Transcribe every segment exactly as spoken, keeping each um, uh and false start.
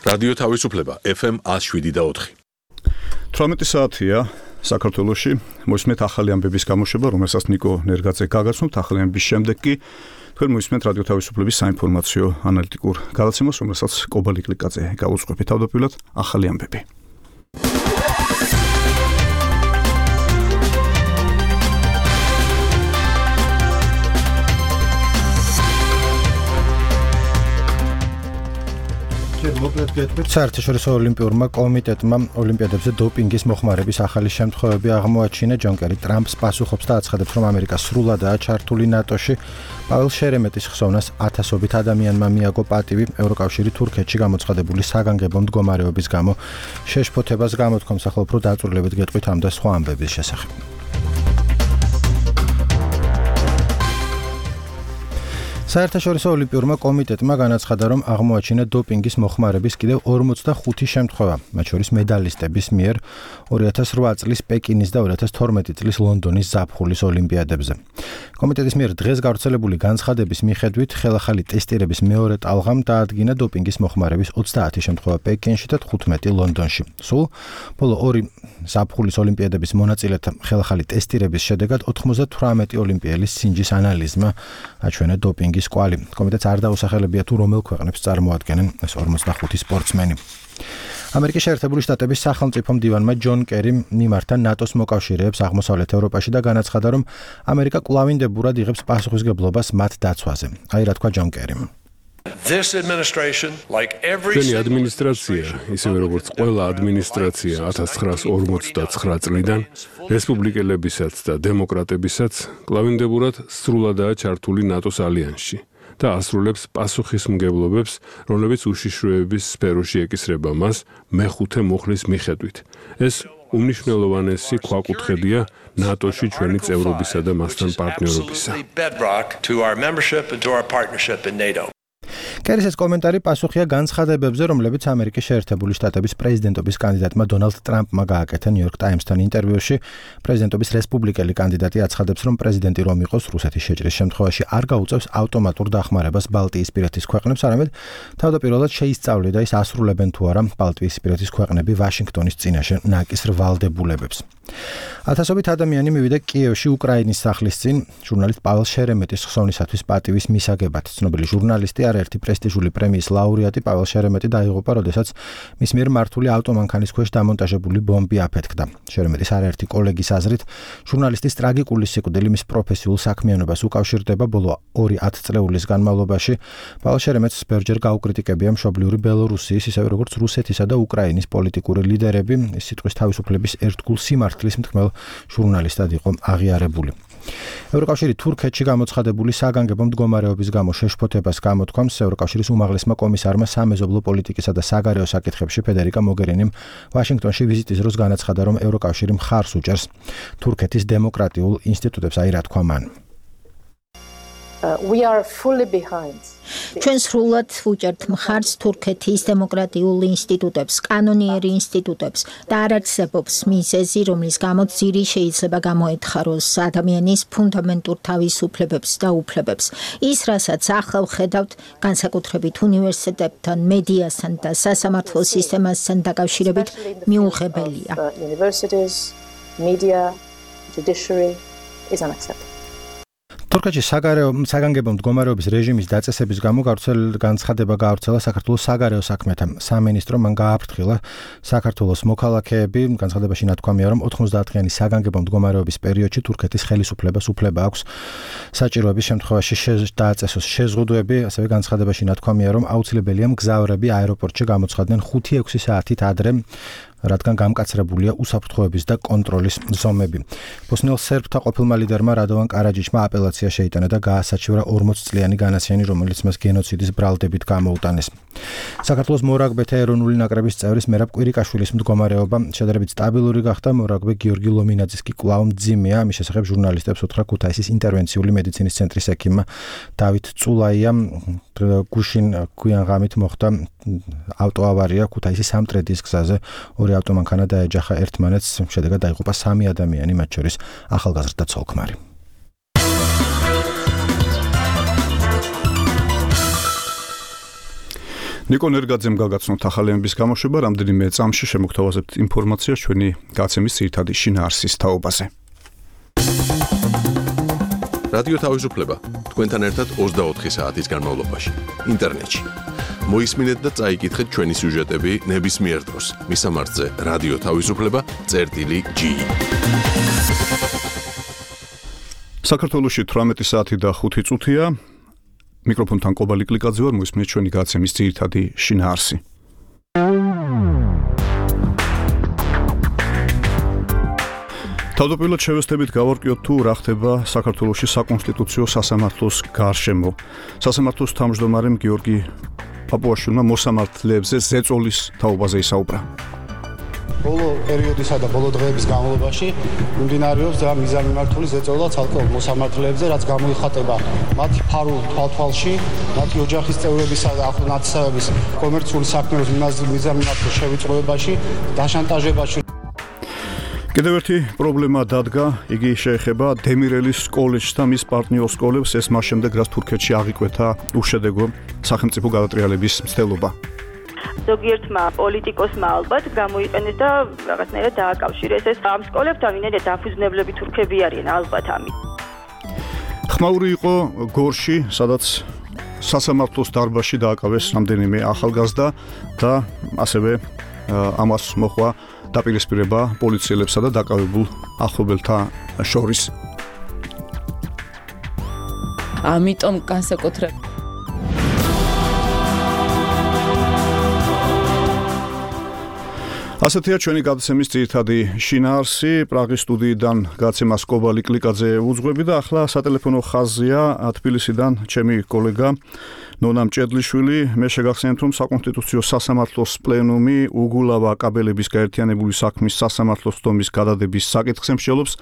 რადიო თავისუფლება ეფ ემ one oh seven და four. თვრამეტი საათია საქართველოში მოისმენთ ახალი ამბების გამოშვება, რომელსაც ნიკო ნერგაძე გაგაცნობთ. ახალი ამბების შემდეგ კი თქვენ მოისმენთ რადიო თავისუფლების საინფორმაციო ანალიტიკურ გადაცემას, რომელსაც კობალი კლიკაძე გაუძღვებით. თავდაპირველად ახალი ამბები. საერთაშორისო ოლიმპიურმა კომიტეტმა ოლიმპიადებზე დოპინგის მოხმარების ახალი შემთხვევები აღმოაჩინა. ჯონ კერი ტრამპს პასუხობს და აცხადებს, რომ ამერიკა სრულადაა ჩართული ნატოში. პაველს შერემეტის ხსოვნას ათასობით ადამიანმა მიაგო პატივი ევროკავშირი თურქეთში გამოცხადებული საგანგებო მდგომარეობის გამო. შეშფოთებას გამოთქვამს, ახლა უფრო დაწვრილებით გეტყვით ამ და სხვა ამბების შესახებ. საერთაშორისო ოლიმპიურმა კომიტეტმა განაცხადა, რომ აღმოაჩინა დოპინგის მოხმარების კიდევ ორმოცდახუთი შემთხვევა, მათ შორის მედალისტების მიერ ორი ათას რვა წლის პეკინის და ორი ათას თორმეტი წლის ლონდონის ზაფხულის ოლიმპიადებზე. კომიტეტის მიერ დღეს გავრცელებული განცხადების მიხედვით, ხელახალი ტესტირების მეორე ტალღამ დაადგინა დოპინგის მოხმარების ოცდაათი შემთხვევა პეკინში და თხუთმეტი ლონდონში. სულ ბოლო ორი ზაფხულის ოლიმპიადების მონაწილეთა ხელახალი ტესტირების შედეგად ოთხმოცდათვრამეტი ოლიმპიელის სინჯის ანალიზმა აჩვენა დოპინგის კვალი. კომიტეტს არ დაუსახელებია თუ რომელ ქვეყნებს წარმოადგენენ ეს ორმოცდახუთი სპორტსმენი. ამერიკის შეერთებული შტატების სახელმწიფო მდივანმა ჯონ კერიმ მიმართა ნატოს მოკავშირეებს აღმოსავლეთ ევროპაში და განაცხადა, რომ ამერიკა კვლავინდებურად იღებს პასუხისმგებლობას მათ დაცვაზე. აი რა თქვა ჯონ კერიმ. ჩვენი ადმინისტრაცია, ისევე როგორც ყველა ადმინისტრაცია ათას ცხრაას ორმოცდაცხრა წლიდან, რესპუბლიკელებისაც და დემოკრატებისაც კვლავინდებურად სრულადაა ჩართული ნატოს ალიანსში და ასრულებს პასუხისმგებლობებს, რომლებიც უშიშროების სფეროში ეკისრება მას მეხუთე მუხლის მიხედვით. ეს უმნიშვნელოვანესი ქვაკუთხედია ნატოში ჩვენი წევრობისა და მასთან პარტნიორობისა. კერის ეს კომენტარი პასუხია განცხადებებზე, რომლებიც ამერიკის შეერთებული შტატების პრეზიდენტობის კანდიდატმა დონალდ ტრამპმა გააკეთა ნიუ-იორკ ტაიმსთან ინტერვიუში. პრეზიდენტობის რესპუბლიკელი კანდიდატი აცხადებს, რომ პრეზიდენტი რომ იყოს რუსეთის შეჭრის შემთხვევაში არ გაუწევს ავტომატურ დახმარებას ბალტიისპირეთის ქვეყნებს, არამედ თავდაპირველად შეისწავლიდა ის ასრულებენ თუ არა ბალტიისპირეთის ქვეყნები ვაშინგტონის წინაშე ნაკისრ ვალდებულებებს. ათასობით ადამიანი მივიდა კიევში უკრაინის სახლის წინ ჟურნალისტ პაველს შერემეტის ხსოვნისათვის პატივის მისაგებად. ცნობილი ჟურნალისტი არაერთი პრესტიჟული პრემიის ლაურეატი პაվել შერემეტი დაიღუპა, როდესაც მის მიერ მართული ავტომანქანის ქვეშ დამონტაჟებული ბომბი აფეთქდა. შერემეტის არაერთი კოლეგის აზრით, ჟურნალისტის ტრაგიკული სიკვდილი მის პროფესიულ საქმიანობას უკავშირდება. ბოლო ორი ათწლეულის განმავლობაში პაվել შერემეტს ბევრჯერ გაუკრიტიკებია მშობლიური ბელორუსიის, ისევე როგორც რუსეთისა და უკრაინის პოლიტიკური ლიდერები. ის სიტყვის თავისუფლების ერთგულ სიმართლის მთქმელ ჟურნალისტად იყო აღიარებული. ევროკავშირი თურქეთში გამოცხადებული საგანგებო მდგომარეობის გამო შეშფოთებას გამოთქვამს. ევროკავშირის უმაღლესმა კომისარმა სამეზობლო პოლიტიკისა და საგარეო საკითხებში ფედერიკა მოგერინიმ ვაშინგტონში ვიზიტის დროს განაცხადა, რომ ევროკავშირი მხარს უჭერს თურქეთის დემოკრატიულ ინსტიტუტებს. აი რა თქვა მან. ჩვენ სრულად ვუჭერთ მხარს თურქეთის დემოკრატიულ ინსტიტუტებს, კანონიერი ინსტიტუტებს და არ არსებობს მიზეზი, რომლის გამოც ძირი შეიძლება გამოეთხაროს ადამიანის ფუნდამენტურ თავისუფლებებს და უფლებებს. ის, რასაც ახლა ვხედავთ, განსაკუთრებით უნივერსიტეტებთან, მედიასთან და სასამართლო სისტემასთან დაკავშირებით მიუღებელია. თურქეთში საგანგებო მდგომარეობის რეჟიმის დაწესების გამო განცხადება გაავრცელა საქართველოს საგარეო საქმეთა სამინისტრომ. მან გააფრთხილა საქართველოს მოქალაქეები. განცხადებაში ნათქვამია, რომ ოთხმოცდაათწლიანი საგანგებო მდგომარეობის პერიოდში თურქეთის ხელისუფლებას უფლება აქვს საჭიროების შემთხვევაში დააწესოს შეზღუდვები. ასევე განცხადებაში ნათქვამია, რომ აუცილებელია მგზავრები აეროპორტში გამოცხადდნენ ხუთი ექვსი საათით ადრე, რადგან გამკაცრებულია უსაფრთხოების და კონტროლის ზომები. ბოსნიელ სერბთა ყოფილმა ლიდერმა რადოვან კარაჯიჩმა აპელაცია შეიტანა და გაასაჩივრა ორმოცწლიანი განაციანი, რომელიც მას გენოციდის ბრალდებით გამოუტანეს. საქართველოს მორაგბეთა ეროვნული ნაკრების წევრის მერაბ კვირიკაშვილის მდგომარეობა შედარებით სტაბილური გახდა. მორაგბე გიორგი ლომინაძის კი კვლავ მძიმეა. მის შესახებ ჟურნალისტებს უთხრა ქუთაისის ინტერვენციული მედიცინის ცენტრის ექიმმა დავით წულაია. გუშინ გვიან ღამით მოხდა ავტოავარია ქუთაისის სამტრედის გზაზე. ორი ავტომანქანა დაეჯახა ერთმანეთს, შედეგად დაიღუპა სამი ადამიანი, მათ შორის ახალგაზრდა ცოლ-ქმარი. ნიკო ნერგაძემ გაგაცნოთ ახალიანების გამოშვება, რამდენიმე წამში შემოგთავაზებთ ინფორმაციას ჩვენი გაცემის ძირითადი შინაარსის თაობაზე. რადიო თავისუფლება თქვენთან ერთად ოცდაოთხი საათის განმავლობაში ინტერნეტში. მოისმინეთ და წაიკითხეთ ჩვენი სიუჟეტები ნებისმიერ დროს. მისამართზე რადიო თავისუფლება წერტილი ჯი. საქართველოში თვრამეტი საათი და ხუთი წუთია. მიკროფონთან კობალი კლიკაძე ვარ, მოისმინეთ ჩვენი გაცემის ძირითადი შინაარსი. თავდაპირველად შევესწრებით გავარკვიოთ თუ რა ხდება საქართველოში საკონსტიტუციო სასამართლოს გარშემო. სასამართლოს თავმჯდომარემ გიორგი პაპუაშვილმა მოსამართლეებზე ზეწოლის თაობაზე ისაუბრა. ბოლო პერიოდისა და ბოლო დღეების განმავლობაში მიმდინარეობს და მიზანმიმართული ზეწოლა ცალკეულ მოსამართლეებზე, რაც გამოიხატება მათი ფარულ თვალთვალში, მათი ოჯახის წევრებისა და ახლო ნათესავების კომერციული საქმეების მიზანმიმართულ შევიწროებაში, დაშანტაჟებაში. კიდევ ერთი პრობლემა დადგა, იგი შეეხება დემირელის კოლეჯს და მის პარტნიორ სკოლებს, ეს მას შემდეგ, რაც თურქეთში აღიკვეთა უშედეგო სახელმწიფო გადატრიალების მცდელობა. ზოგიერთმა პოლიტიკოსმა ალბათ გამოიყენეს და რაღაცნაირად დააკავშირეს ეს ამ სკოლებს, ამინერე დაფუძნებლები თურქები არიან ალბათ ამით. ხმაური იყო გორში, სადაც სასამართლოს დარბაზში დააკავეს რამდენიმე ახალგაზრდა და ასევე ამას მოხდა დაპირისპირება პოლიციელებსა და დაკავებულ ახლობელთა შორის. ამიტომ განსაკუთრებით ასეთია ჩვენი გადაცემის ძირითადი შინაარსი. პრაღის სტუდიიდან გაცემას კობალი კლიკაძე უძღვები და ახლა სატელეფონო ხაზია თბილისიდან ჩემი კოლეგა ნონა მჭედლიშვილი. მე შეგახსენებთ, რომ საკონსტიტუციო სასამართლოს პლენუმი უგულავა კაბელების გაერთიანებული საქმის სასამართლოს თომის გადადების საკითხს ემსჯელობს.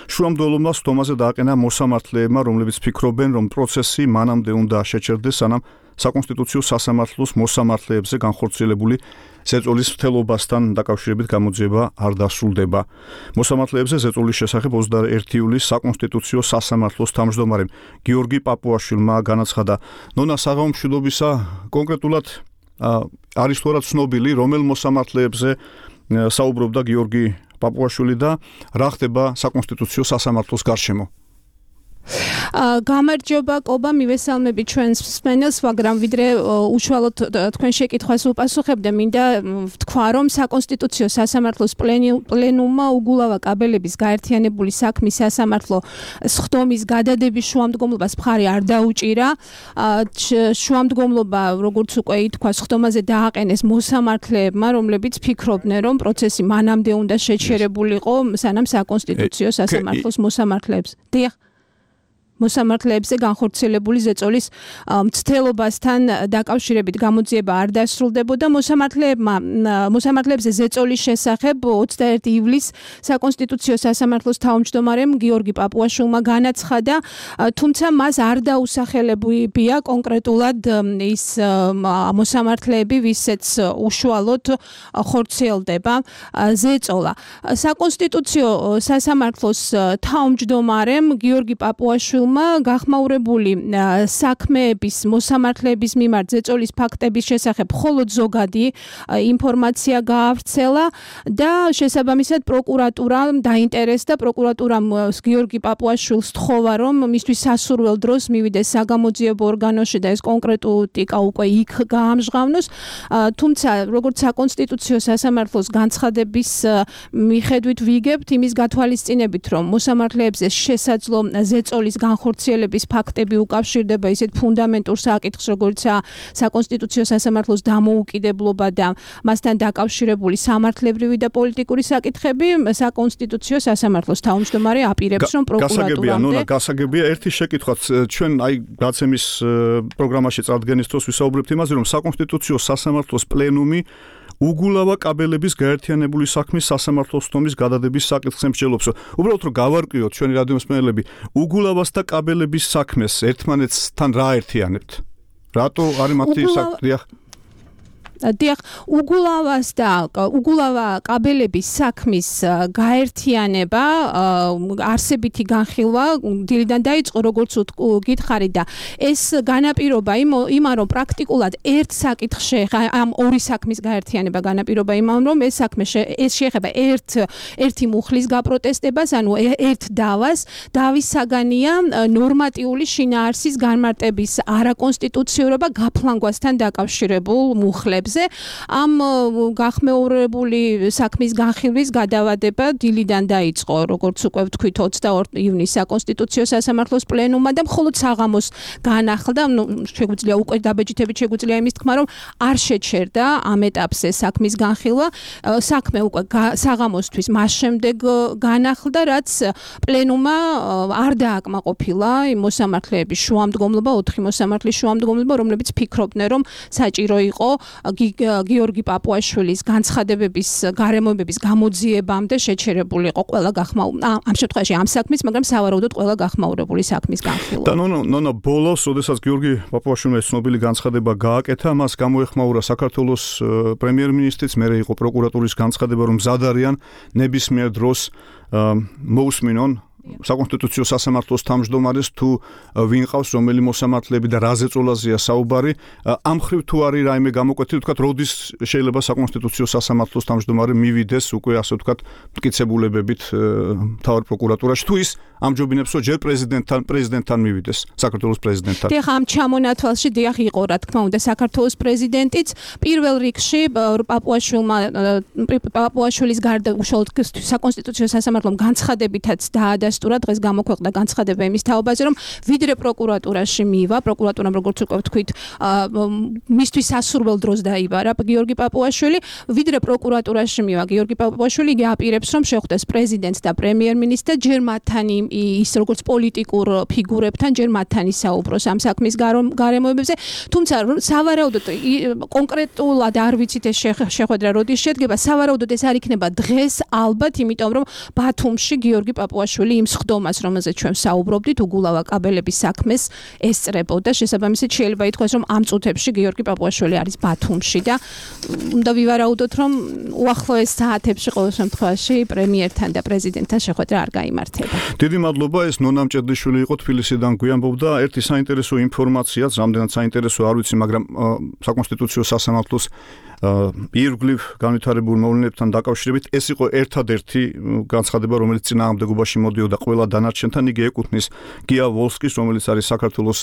შუამდელობა თომაზე დააყენა მოსამართლეებმა, რომლებიც ფიქრობენ, რომ პროცესი მანამდე უნდა შეჩერდეს, სანამ საკონსტიტუციო სასამართლოს მოსამართლეებზე განხორციელებული ზეწოლის მთელობასთან დაკავშირებით გამოძიება არ დასრულდება. მოსამართლეებზე ზეწოლის შესახებ ოცდაერთი ივლისს საკონსტიტუციო სასამართლოს თავმჯდომარემ გიორგი პაპუაშვილმა განაცხადა. ნონა, საღამო მშვიდობისა, კონკრეტულად არის თუ არა ცნობილი, რომელ მოსამართლეებზე საუბრობდა გიორგი პაპუაშვილი და რა ხდება საკონსტიტუციო სასამართლოს გარშემო? გამარჯობა კობა, მივესალმები ჩვენს მსმენელს, მაგრამ ვიდრე უშუალოდ თქვენ შეკითხვას უპასუხებდე, მინდა ვთქვა, რომ საკონსტიტუციო სასამართლოს პლენუმმა უგულავა კაბელების გაერთიანებული საქმის სასამართლო სხდომის გადადების შუამდგომლობას მხარი არ დაუჭირა. შუამდგომლობა, როგორც უკვე ითქვა, სხდომაზე დააყენეს მოსამართლეებმა, რომლებიც ფიქრობდნენ, რომ პროცესი მანამდე უნდა შეჩერებულიყო, სანამ საკონსტიტუციო სასამართლოს მოსამართლეებს. დიახ. მოსამართლეებზე განხორციელებული ზეწოლის მცდელობასთან დაკავშირებით გამოძიება არ დასრულდებოდა. მოსამართლეებმა მოსამართლეებზე ზეწოლის შესახებ ოცდაერთი ივლისს საკონსტიტუციო სასამართლოს თავმჯდომარემ გიორგი პაპუაშვილმა განაცხადა, თუმცა მას არ დაუსახელებია კონკრეტულად ის მოსამართლეები, ვისაც უშუალოდ ხორციელდება ზეწოლა. საკონსტიტუციო სასამართლოს თავმჯდომარემ გიორგი პაპუაშვილმა გახმაურებული საქმეების მოსამართლეების მიმართ ზეწოლის ფაქტების შესახებ მხოლოდ ზოგადი ინფორმაცია გაავრცელა და შესაბამისად პროკურატურამ დაინტერესდა. პროკურატურამ გიორგი პაპუაშვილს თხოვა, რომ მისთვის სასურველ დროს მივიდეს საგამოძიებო ორგანოში და ეს კონკრეტიკა უკვე იქ გაამჟღავნოს. თუმცა, როგორც საკონსტიტუციო სასამართლოს განცხადების მიხედვით ვიგებთ, იმის გათვალისწინებით, რომ მოსამართლეებზე შესაძლო ზეწოლის განხორციელების ფაქტები უკავშირდება ისეთ ფუნდამენტურ საკითხს, როგორიცაა საკონსტიტუციო სასამართლოს დამოუკიდებლობა და მასთან დაკავშირებული სამართლებრივი და პოლიტიკური საკითხები, საკონსტიტუციო სასამართლოს თავმჯდომარე აპირებს, რომ პროკურატურამდე გასაგებია ერთი შეკითხვაც, ჩვენ აი გაცემის პროგრამაში წარდგენის დროს ვისაუბრებთ იმაზე, რომ საკონსტიტუციო სასამართლოს პლენუმი უგულავა კაბელების გაერთიანებული საქმის სასამართლოს თომის გადადების საკითხს ემსჯელობს. უბრალოდ რომ გავარკვიოთ ჩვენი რადიო მსმენელები, უგულავას და კაბელების საქმეს ერთმანეთსთან რა ერთიანებთ? რატო არის მათი საკითხი? დიახ, უგულავას და უგულავა კაბელების საქმის გაერთიანება არსებითი განხილვა დილიდან დაიწყო, როგორც გითხარით და ეს განაპირობა იმან, რომ პრაქტიკულად ერთ საკითხში ამ ორი საქმის გაერთიანება განაპირობა იმან, რომ ეს საქმე ეს შეეხება ერთ ერთი მუხლის გაპროტესტებას, ანუ ერთ დავას, დავის საგანია ნორმატიული შინაარსის განმარტების არაკონსტიტუციურობა გაფლანგვასთან დაკავშირებულ მუხლებზე. ამ გახმეურებული საქმის განხილვის გადავადება დილიდან დაიწყო, როგორც უკვე ვთქვით, ოცდაორი ივნისს საკონსტიტუციო სასამართლოს პლენუმმა და მხოლოდ საღამოს განახლდა, ну, შეგვიძლია უკვე დაბეჭდებით შეგვიძლია იმის თქმა, რომ არ შეჩერდა ამ ეტაპზე საქმის განხილვა. საქმე უკვე საღამოსთვის მას შემდეგ განახლდა, რაც პლენუმმა არ დააკმაყოფილა იმ მოსამართლეების შუამდგომლობა, ოთხი მოსამართლის შუამდგომლობა, რომლებიც ფიქრობდნენ, რომ საჭირო იყო გიორგი პაპუაშვილის განცხადებების გარემოებების გამოძიებამდე შეჩერებულიყო ყველა გახმაურებული ამ შემთხვევაში ამ საქმის, მაგრამ სავარაუდოდ ყველა გახმაურებული საქმის განხილვა. და ნონო ნონო ბოლოს, როდესაც გიორგი პაპუაშვილმა ეს ცნობილი განცხადება გააკეთა, მას გამოეხმაურა საქართველოს პრემიერ-მინისტრიც, მერე იყო პროკურატურის განცხადება, რომ მზად არიან ნებისმიერ დროს მოусმინონ საკონსტიტუციო სასამართლოს თავმჯდომარეს თუ ვინ ყავს რომელი მოსამართლეები და რა ზეწოლაზეა საუბარი. ამ ხრივ თუ არის რაიმე გამოკვეთილი, თქვათ, როდის შეიძლება საკონსტიტუციო სასამართლოს თავმჯდომარე მივიდეს უკვე ასე ვთქვათ მტკიცებულებებით მთავარ პროკურატურაში, თუ ის ამჯობინებს, რომ ჯერ პრეზიდენტთან პრეზიდენტთან მივიდეს, საქართველოს პრეზიდენტთან. დიახ, ამ ჩამონათვალში დიახ იყო, რა თქმა უნდა, საქართველოს პრეზიდენტიც პირველ რიგში პაპუაშვილმა პაპუაშვილის გარდა უშუალოდ საკონსტიტუციო სასამართლომ განცხადებითაც დაადასტურა, დღეს გამოქვეყნდა განცხადება იმის თაობაზე, რომ ვიდრე პროკურატურაში მივა, პროკურატურამ როგორც უკვე ვთქვით, მისთვის სასურველ დროს დაიბარა გიორგი პაპუაშვილი, ვიდრე პროკურატურაში მივა გიორგი პაპუაშვილი, იგი აპირებს, რომ შეხვდეს პრეზიდენტს და პრემიერ-მინისტრს და ჯერ მათთან ის როგორც პოლიტიკურ ფიგურებთან ჯერ მათთან ისაუბროს ამ საქმის გარემოებებზე, თუმცა სავარაუდოდ კონკრეტულად არ ვიცით ეს შეხვედრა როდის შედგება, სავარაუდოდ ეს არ იქნება დღეს ალბათ, იმიტომ რომ ბათუმში გიორგი პაპუაშვილი იმ სხდომას, რომელზეც ჩვენ საუბრობდით, უგულავა კაბელების საქმეს ესწრებოდა, შესაბამისად შეიძლება ითქვას, რომ ამ წუთებში გიორგი პაპუაშვილი არის ბათუმში და უნდა ვივარაუდოთ, რომ უახლოეს საათებში ყოველ შემთხვევაში პრემიერთან და პრეზიდენტთან შეხვედრა არ გაიმართება. დიდი მადლობა, ეს ნონა მჭედლიშვილი იყო თბილისიდან გვიანბობდა. ერთი საინტერესო ინფორმაციაც, რამდენად საინტერესო არ ვიცი, მაგრამ საკონსტიტუციო სასამართლოს ირგვლივ განვითარებულ მოვლენებთან დაკავშირებით ეს იყო ერთადერთი განცხადება, რომელიც წინააღმდეგობაში მოდიოდა ყველა დანარჩენთან. იგი ეკუთვნის გია ვოლსკის, რომელიც არის საქართველოს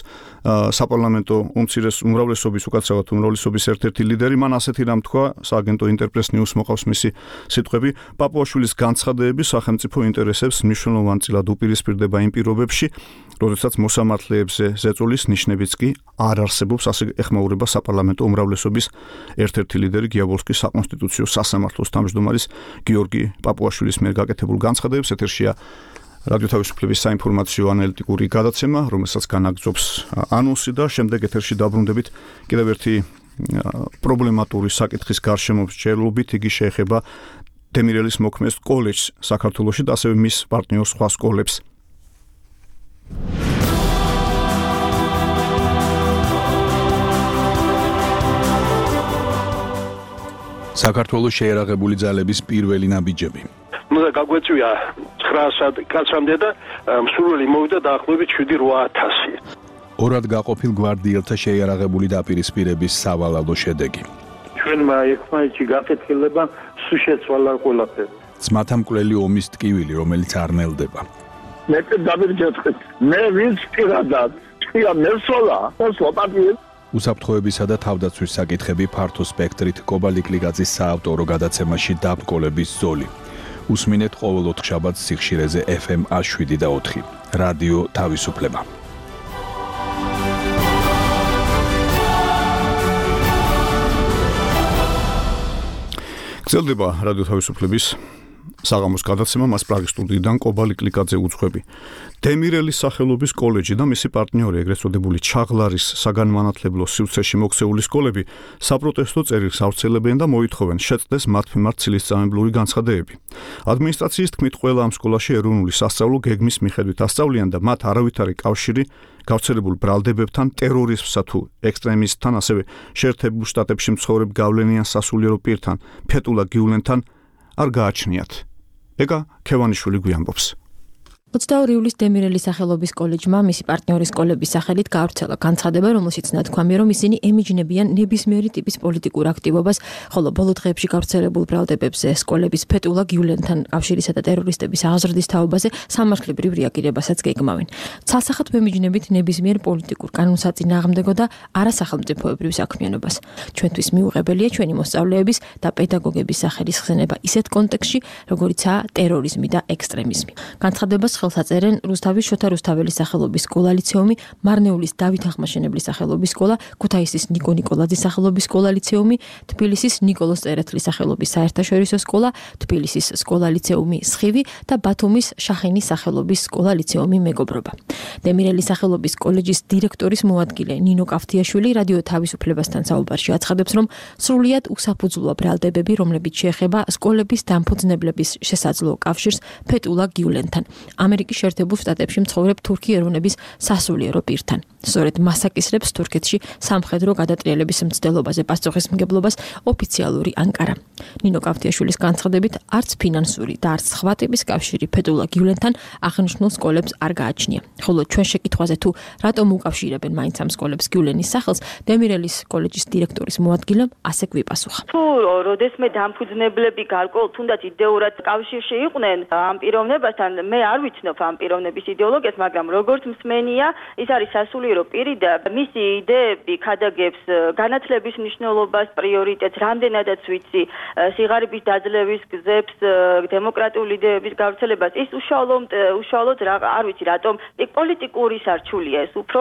საპარლამენტო უმცირეს უმრავლესობის, უკაცრავად უმრავლესობის ერთ-ერთი ლიდერი. მან ასეთი რამ თქვა, სააგენტო ინტერპრეს ნიუს მოყავს მისი სიტყვები, პაპუაშვილის განცხადებები სახელმწიფო ინტერესებს მნიშვნელოვან წილად უპირისპირდება იმ პირობებში, როდესაც მოსამართლეებზე ზეწოლის ნიშნებიც კი არ არსებობს, ასე ეხმაურება საპარლამენტო უმრავლესობის ერთ-ერთი ლიდერი გია ვოლსკის საკონსტიტუციო სასამართლოს თავმჯდომარის გიორგი პაპუაშვილის მიერ გაკეთებულ განცხადებებს. ეთერშია რადიო თავისუფლების საინფორმაციო ანალიტიკური გადაცემა, რომელსაც განაგრძობს ანონსი და შემდეგ ეთერში დაბრუნდებით კიდევ ერთი პრობლემატური საკითხის გარშემო მსჯელობით. იგი შეეხება დემირელის მოქმედ კოლეჯს საქართველოში და ასევე მის პარტნიორ სხვა სკოლებს. საქართველოს შეერაღებული ძალების პირველი ნაბიჯები. ნუ და გაგვეწვია ცხრა კაცამდე და მსურველი მოვიდა დაახლოებით შვიდი რვა ათასი. ორად გაყოფილ გვარდიელთა შეიარაღებული დაპირისპირების სავალალო შედეგი. ჩვენმა ერთმანეთში გაკეთილება სულ შეცვალა ყველაფერი. ძმათა მკვლელი ომის ტკივილი, რომელიც არ ნელდება. მე დავირჯეთქეთ. მე ვინც პირადად თქვია მესოლა, მოსლოპატიე. უსაფრთხოებისა და თავდაცვის საკითხები ფართო სპექტრით კობალიკლიკაძის საავტორო გადაცემაში დაბრკოლების ზოლი. უსმინეთ ყოველ ოთხშაბათს სიხშირეზე ეფ ემ შვიდ და ოთხი. რადიო თავისუფლება. გრძელდება რადიო თავისუფლების საღამოს გადაცემა მას პრაღის სტუდიიდან კობა ლიკლიკაძე უძღვები. დემირელის სახელობის კოლეჯი და მისი პარტნიორი, ეგრეთ წოდებული ჩაღლარის საგანმანათლებლო სივრცეში მოქცეული სკოლები საპროტესტო წერილს ავრცელებენ და მოითხოვენ შეწყდეს მათ მიმართ ცილისწამებლური განცხადებები. ადმინისტრაციის თქმით, ყველა ამ სკოლაში ეროვნული სასწავლო გეგმის მიხედვით ასწავლიან და მათ არავითარი კავშირი გავრცელებულ ბრალდებებთან, ტერორიზმსა თუ ექსტრემისტთან, ასევე შეერთებულ შტატებში მცხოვრებ გავლენიან სასულიერო პირთან, ფეტულა გიულენთან არ გააჩნიათ. ეგა ქევანიშვილი გვიამბობს. ოცდაორი ივლისს დემირელის სახელობის კოლეჯმა მისი პარტნიორის სკოლების სახელით გაავრცელა განცხადება, რომელშიც ნათქვამია, რომ ისინი ემიჯნებიან ნებისმიერი ტიპის პოლიტიკურ აქტივობას, ხოლო ბოლო დღეებში გავრცელებულ ბრალდებებზე სკოლების ფეტულა გიულენთან კავშირისა და ტერორისტების აღზრდის თაობაზე სამართლებრივ რეაგირებასაც გეგმავენ. ცალსახად ვემიჯნებით ნებისმიერ პოლიტიკურ კანონსაწინააღმდეგო და არასახელმწიფოებრივ საქმიანობას. ჩვენთვის მიუღებელია ჩვენი მოსწავლეების და პედაგოგების სახელის ხსენება ისეთ კონტექსტში, როგორიცაა ტერორიზმი და ექსტრემიზმი. განცხადებას ხელსაწერენ რუსთავის შოთა რუსთაველის სახელობის სკოლა ლიცეუმი, მარნეულის დავით ახმაშენებლის სახელობის სკოლა, ქუთაისის ნიკო ნიკოლაძის სახელობის სკოლა ლიცეუმი, თბილისის ნიკოლოზ წერეთლის სახელობის საერთაშორისო სკოლა, თბილისის სკოლა ლიცეუმი სხივი და ბათუმის შახინის სახელობის სკოლა ლიცეუმი მეგობრობა. დემირელის სახელობის კოლეჯის დირექტორის მოადგილე ნინო კავთიაშვილი რადიო თავისუფლებასთან საუბარში აცხადებს, რომ სრულიად უსაფუძვლოა ბრალდებები, რომლებიც შეეხება სკოლების დამფუძნებლების შესაძლო კავშირს ფეტულა გიულენთან. ამერიკის შეერთებულ შტატებში მცხოვრებ თურქი ეროვნების სასულიერო პირთან. სწორედ მას აკისრებს თურქეთში სამხედრო გადატრიალების მცდელობაზე პასუხისმგებლობას ოფიციალური ანკარა. ნინო კავთიაშვილის განცხადებით, არც ფინანსური და არც სხვა ტიპის კავშირი ფეტულა გიულენთან აღნიშნულ სკოლებს არ გააჩნია. ხოლო ჩვენ შეკითხვაზე თუ რატომ უკავშირებენ მაინც ამ სკოლებს გიულენის სახელს, დემირელის კოლეჯის დირექტორის მოადგილემ ასე გვიპასუხა. თუ როდესმე დამფუძნებლები გარკვეულ თუნდაც იდეურად კავშირში იყვნენ ამ პიროვნებასთან, მე არ ვიცნობ ამ პიროვნების იდეოლოგიას, მაგრამ როგორც მსმენია, ის არის სასულიერო პირი და მისი იდეები ქადაგებს განათლების მნიშვნელობას, პრიორიტეტს, რამდენადაც ვიცი, სიღარიბის დაძლევის გზებს, დემოკრატიული იდეების გავრცელებას. ის უშუალოდ უშუალოდ არ ვიცი რატომ პოლიტიკური სარჩულია ეს უფრო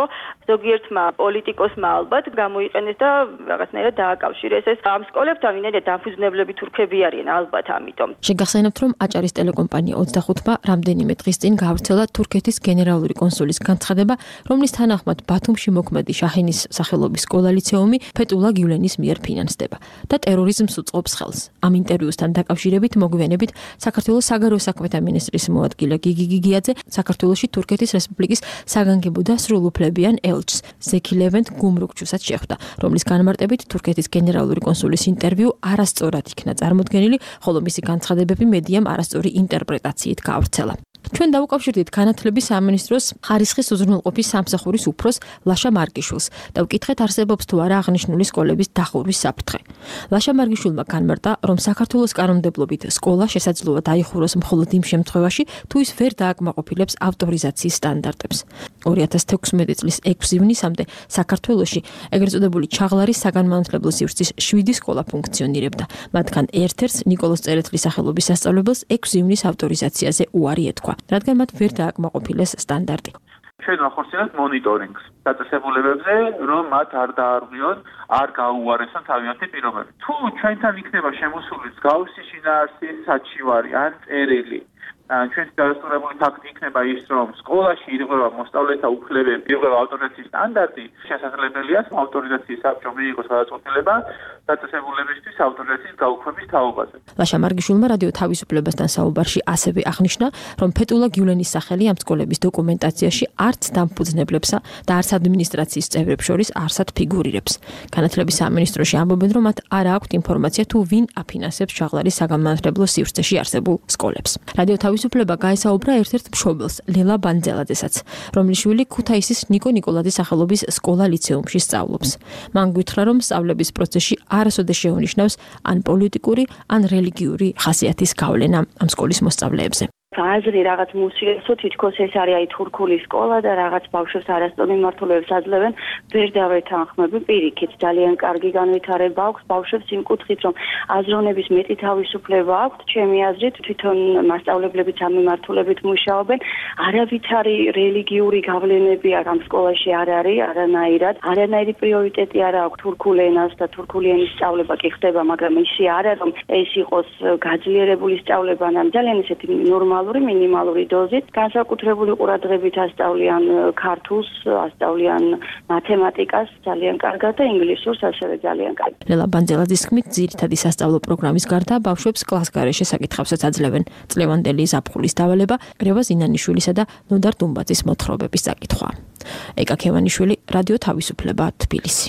ზოგიერთმა პოლიტიკოსმა ალბათ გამოიყენეს და რაღაცნაირად დააკავშირეს ეს ამ სკოლებთან, ვინაიდან დამფუძნებლები თურქები არიან ალბათ ამიტომ. შეგახსენებთ, რომ აჭარის ტელეკომპანია ოცდახუთმა რამდენიმე დღის წინ გავრცელა თურქეთის გენერალური კონსულის განცხადება, რომლის თანახმად ბათუმში მოქმედი შაჰინის სახელობის სკოლა ლიცეუმი ფეტულა გიულენის მიერ ფინანსდება და ტერორიზმს უწყობს ხელს. ამ ინტერვიუსთან დაკავშირებით მოგვიანებით საქართველოს საგარეო საქმეთა მინისტრის მოადგილე გიგი გიგიაძე საქართველოში თურქეთის რესპუბლიკის საგანგებო და სრულუფლებიან ელჩს ზექი ლევენტ გუმრუქჩუსაც შეხვდა, რომლის განმარტებით თურქეთის გენერალური კონსულის ინტერვიუ არასწორად იქნა წარმოდგენილი, ხოლო მისი განცხადებები მედიამ არასწორი ინტერპრეტაციით გაავრცელა. ჩვენ დავუკავშირდით განათლების სამინისტროს ხარისხის უზრუნველყოფის სამსახურის უფროს ლაშა მარგიშვილს და ვკითხეთ არსებობს თუ არა აღნიშნული სკოლების დახურვის საფრთხე. ლაშა მარგიშვილმა განმარტა, რომ საქართველოს კანონმდებლობით სკოლა შესაძლოა დაიხუროს მხოლოდ იმ შემთხვევაში, თუ ის ვერ დააკმაყოფილებს ავტორიზაციის სტანდარტებს. ორი ათას თექვსმეტი წლის ექვსი ივნისამდე საქართველოში ეგრეთ წოდებული ჩაღლარის საგანმანათლებლო სივრცის შვიდი სკოლა ფუნქციონირებდა. მათგან ერთ-ერთს ნიკოლოზ წერეთლის სახელობის სასწავლებელს ექვსი ივნის ავტორიზაციაზე უარი ეთქვა, რადგან მათ ვერ დააკმაყოფილეს სტანდარტი. ჩვენ ვახორციელებთ მონიტორინგს დაწესებულებებზე, რომ მათ არ დაარღვიონ, არ გაუარესონ თავიანთი პირობები. თუ ჩვენთან იქნება შემოსული მსგავსი შინაარსის საჩივარი ან წერილი, ჩვენს დადასტურებული ფაქტი იქნება ის, რომ სკოლაში ირღვევა მოსწავლეთა უფლებები, ირღვევა ავტორიზაციის სტანდარტი, შესაძლებელია ავტორიზაციის საბჭო მიიღოს გადაწყვეტილება დაწესებულებისთვის ავტორიზაციის გაუქმების თაობაზე. ლაშა მარგიშვილმა რადიო თავისუფლებასთან საუბარში ასევე აღნიშნა, რომ ფეტულა გიულენის სახელი ამ სკოლების დოკუმენტაციაში არც დამფუძნებლებსა და არც ადმინისტრაციის წევრებს შორის არსად ფიგურირებს. განათლების სამინისტროში ამბობენ, რომ მათ არ აქვთ ინფორმაცია თუ ვინ აფინანსებს ჩაღლარის საგანმანათლებლო სივრცეში არსებულ სკოლებს. რადიო თავისუფლება გაესაუბრა ერთ-ერთ მშობელს, ლელა ბანძელაძესაც, რომლის შვილი ქუთაისის ნიკო ნიკოლაძის სახელობის სკოლა ლიცეუმში სწავლობს. მან გითხრა, რომ სწავლების პროცესში არასოდეს შეუნიშნავს ან პოლიტიკური, ან რელიგიური ხასიათის გავლენა ამ სკოლის მოსწავლეებზე. აზრი რაღაც მუსიესო თითქოს ეს არის აი თურქული სკოლა და რაღაც ბავშვებს არასწორ მიმართულებას აძლევენ, ვერ დავეთანხმები პირიქით, ძალიან კარგი განვითარება აქვს ბავშვებს იმ კუთხით, რომ აზროვნების მეტი თავისუფლება აქვთ, ჩემი აზრით, თვითონ მასწავლებლებიც ამ მიმართულებით მუშაობენ, არავითარი რელიგიური გავლენები ამ სკოლაში არ არის, არანაირად, არანაირი პრიორიტეტი არ აქვს თურქულ ენას და თურქული ენის სწავლება კი ხდება, მაგრამ ისე არა, რომ ეს იყოს გაძლიერებული სწავლება, ან ძალიან ისეთი ნორმალური, მინიმალური დოზით, განსაკუთრებული ყურადღებით ასწავლიან ქართულს, ასწავლიან მათემატიკას ძალიან კარგად და ინგლისურს ასევე ძალიან კარგად. ლელა ბანძელაძის თქმით, ძირითადი სასწავლო პროგრამის გარდა ბავშვებს კლასგარეშე საკითხებსაც აძლევენ. წლევანდელი ზაფხულის დავალება გრევა ზინანიშვილისა და ნოდარ დუმბაძის მოთხრობების საკითხვა. ეკა ქევანიშვილი, რადიო თავისუფლება, თბილისი.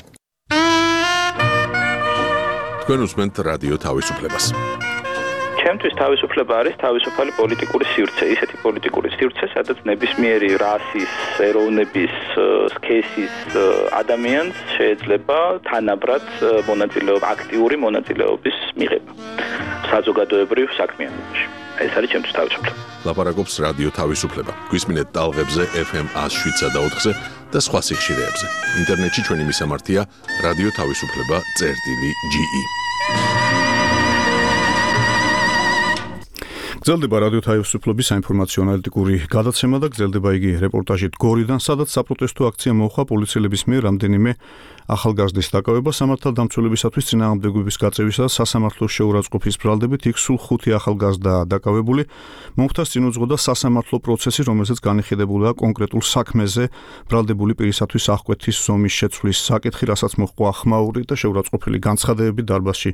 თქვენ უსმენთ რადიო თავისუფლებას. ჩემთვის თავისუფლება არის თავისუფალი პოლიტიკური სივრცე, ისეთი პოლიტიკური სივრცე, სადაც ნებისმიერი რასის, ეროვნების, სქესის ადამიანს შეიძლება თანაბრად მონაწილეობა, აქტიური მონაწილეობის მიღება საზოგადოებრივ საქმიანობაში. ეს არის ჩემთვის თავისუფლება. ლაპარაკობს რადიო თავისუფლება. გვისმინეთ ტალღებზე ეფ ემ ას შვიდსა და ოთხზე და სხვა სიხშირეებზე. ინტერნეტში ჩვენი მისამართია რადიო თავისუფლება წერტილი ჯი ი. გრძელდება რადიო თავისუფლების საინფორმაციო ანალიტიკური გადაცემა და გრძელდება იგი რეპორტაჟით გორიდან, სადაც საპროტესტო აქცია მოხდა პოლიციელების მიერ რამდენიმე ახალგაზრდის დაკავება სამართალდამცველებისათვის წინააღმდეგობის გაწევისა და სასამართლოს შეურაცხყოფის ბრალდებით. იქ სულ ხუთი ახალგაზრდა დაკავებული. მომხდარს წინ უძღოდა სასამართლო პროცესი, რომელზეც განიხილებულია კონკრეტულ საქმეზე ბრალდებული პირისათვის აღკვეთის ზომის შეცვლის საკითხი, რასაც მოჰყვა ახმაური და შეურაცხყოფილი განცხადებები დარბაზში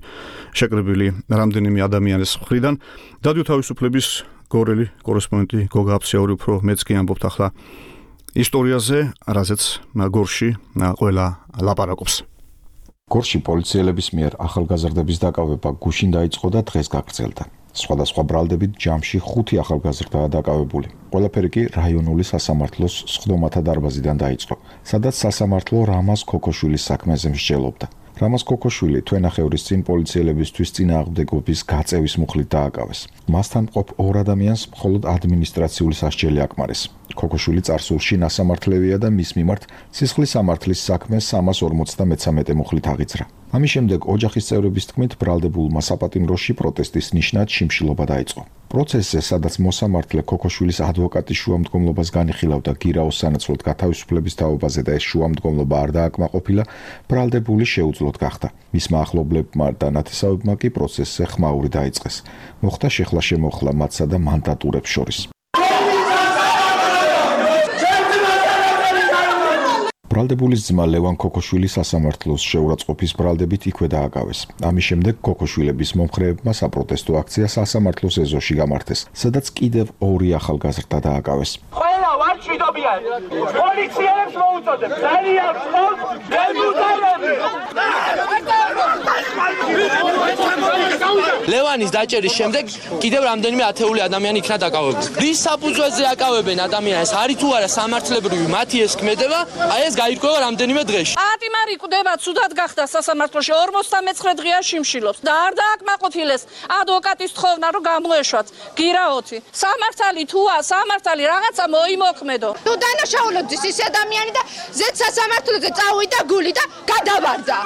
შეკრებილი რამდენიმე ადამიანის მხრიდან. რადიო თავისუფლების გორელი კორესპონდენტი გოგა აფსიაური უფრო მეც კი ამბობთ ახლა ისტორიაზე, რაზეც გორში ყველა ლაპარაკობს. გორში პოლიციელების მიერ ახალგაზრდების დაკავება გუშინ დაიწყო და დღეს გაგრძელდა. სხვადასხვა ბრალდებით ჯამში ხუთი ახალგაზრდაა დაკავებული. ყველაფერი კი რაიონული სასამართლოს სხდომათა დარბაზიდან დაიწყო, სადაც სასამართლო რამაზ ქოქოშვილის საქმეზე მსჯელობდა. რამაზ ქოქოშვილი თვენახევრის წინ პოლიციელებისთვის წინააღმდეგობის გაწევის მუხლით დააკავეს. მასთან მყოფ ორ ადამიანს მხოლოდ ადმინისტრაციული სასჯელი აკმარეს. ქოქოშვილი წარსულში ნასამართლევია და მის მიმართ სისხლის სამართლის საქმე სამას ორმოცდამეცამეტე მუხლით აღიძრა. ამის შემდეგ ოჯახის წევრების თქმით ბრალდებულმა საპატიმროში პროტესტის ნიშნად შიმშილობა დაიწყო. პროცესზე, სადაც მოსამართლე ქოქოშვილის ადვოკატის შუამდგომლობას განიხილავდა გირაოს სანაცვლოდ გათავისუფლების თაობაზე და ეს შუამდგომლობა არ დააკმაყოფილა, ბრალდებული შეუძლოდ გახდა. მისმა ახლობლებმა და ნათესავებმა კი პროცესზე ხმაური დაიწყეს. მოხდა შეხლა-შემოხლა მათსა და მანდატურებს შორის. ბრალდებულის ძმა ლევან ქოქოშვილი სასამართლოს შეურაცხყოფის ბრალდებით იქვე დააკავეს. ამის შემდეგ ქოქოშვილების მომხრეებმა საპროტესტო აქცია სასამართლოს ეზოში გამართეს, სადაც კიდევ ორი ახალგაზრდა დააკავეს. ყველა ვარ ჭიდობიან. პოლიციელებს მოუწოდებ. ძალიან ვწოვთ დეპუტატები. ლევანის დაჭერის შემდეგ კიდევ რამდენიმე ათეული ადამიანი იქნა დაკავებული. რის საფუძველზე აკავებენ ადამიანს, არის თუ არა სამართლებრივი მათი ეს ქმედება, აი ეს გაირკვევა რამდენიმე დღეში. პატიმარი კვდება, ცუდად გახდა სასამართლოში, ორმოცდამეცხრე დღეა შიმშილობს და არ დააკმაყოფილეს ადვოკატის თხოვნა, რომ გამოეშვათ გირაოთი. სამართალი თუა, სამართალი რაღაცა მოიმოქმედო. თუ დანაშაულობდეს ის ადამიანი და ზედ სასამართლოზე წავიდა გული და გადავარდა.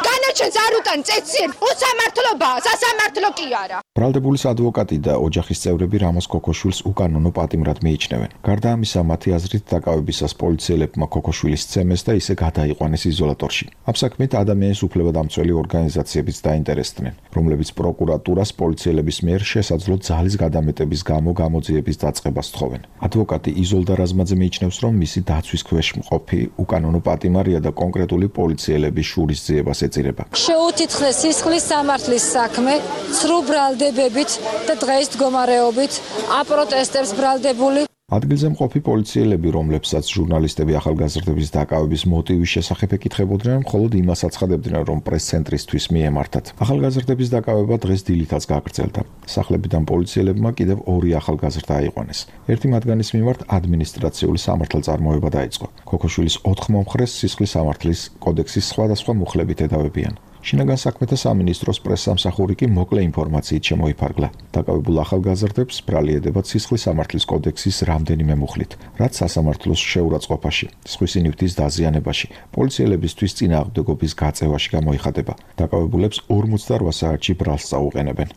განაჩენს არ უტან წეცილ, უსამართლობაა, სასამართლო კი არა. ბრალდებულის ადვოკატი და ოჯახის წევრები რამაზ ქოქოშვილს უკანონო პატიმრად მიიჩნევენ. გარდა ამისა, მათი აზრით დაკავებისას პოლიციელებმა ქოქოშვილის ცემეს და ისე გადაიყვანეს იზოლატორში. ამ საქმით ადამიანის უფლებადამცველი ორგანიზაციებიც დაინტერესდნენ, რომლებიც პროკურატურას პოლიციელების მიერ შესაძლო ძალის გადამეტების გამო გამოძიების დაწყებას თხოვენ. ადვოკატი იზოლდა რაზმაძე მიიჩნევს, რომ მისი დაცვის ქვეშ მყოფი უკანონო პატიმარია და კონკრეტული პოლიციელების შურისძიებას ეწირება. შეუთითხრეს სისხლის სამართლის საქმე, ცრუ ბრალდებებით და დღეს მდგომარეობით აპროტესტებს ბრალდებული. ადგილზე მყოფი პოლიციელები, რომლებსაც ჟურნალისტები ახალგაზრდების დაკავების მოტივის შესახებ ეკითხებოდნენ, მხოლოდ იმას აცხადებდნენ, რომ პრეს-ცენტრისთვის მიემართათ. ახალგაზრდების დაკავება დღეს დილითაც გაგრძელდა. სახლებიდან პოლიციელებმა კიდევ ორი ახალგაზრდა აიყვანეს. ერთი მათგანის მიმართ ადმინისტრაციული სამართალწარმოება დაიწყო. ქოქოშვილის ოთხ მომხრეს სისხლის სამართლის კოდექსის სხვადასხვა მუხლებით ედავებიან. შინაგან საქმეთა სამინისტროს პრესსამსახური კი მოკლე ინფორმაციით შემოიფარგლა. დაკავებულ ახალგაზრდებს ბრალიერდება ცისხლის სამართლის კოდექსის რამდენიმე მუხლით, რაც სასამართლოს შეურაცხყოფაში, სხვისი ნივთის დაზიანებაში, პოლიციელებისთვის წინააღმდეგობის გაწევაში გამოიხადება. დაკავებულებს ორმოცდაორ საათში ბრალს წაუყენებენ.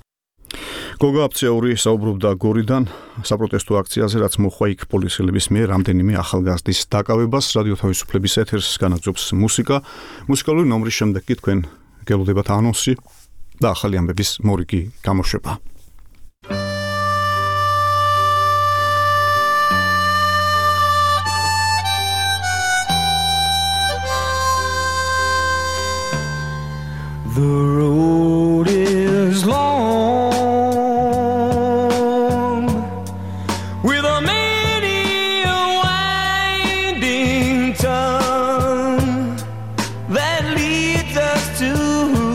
გოგა აფციური საუბრობდა გორიდან საპროტესტო აქციაზე, რაც მოხდა იქ პოლიციელების მიერ რამდენიმე ახალგაზრდის დაკავებას. რადიო თავისუფლების ეთერს განაგზობს მუსიკა. მუსიკალური ნომრის შემდეგ კი თქვენ გელოდებათ ანონსი და ახალი ამბების მორიგი გამოშვება. The road is long with a many a winding turn that leads us to who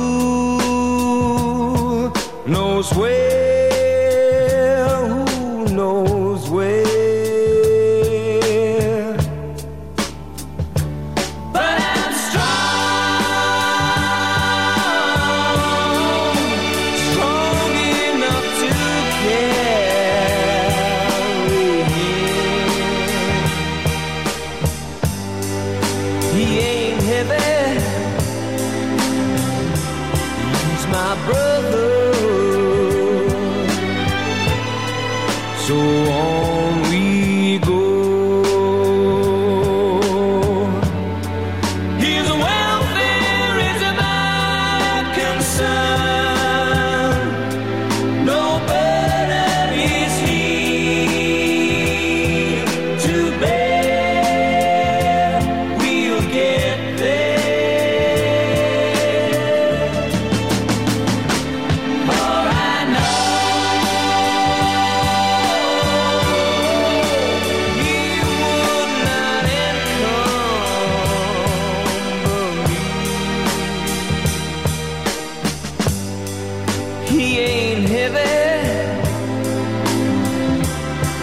knows where, who knows where. But I'm strong, strong enough to carry him. He ain't heavy, he's my brother. So on we go. His welfare is my concern. No burden is he to bear. We'll get there. For I know he would not encumber me. He ain't heavy,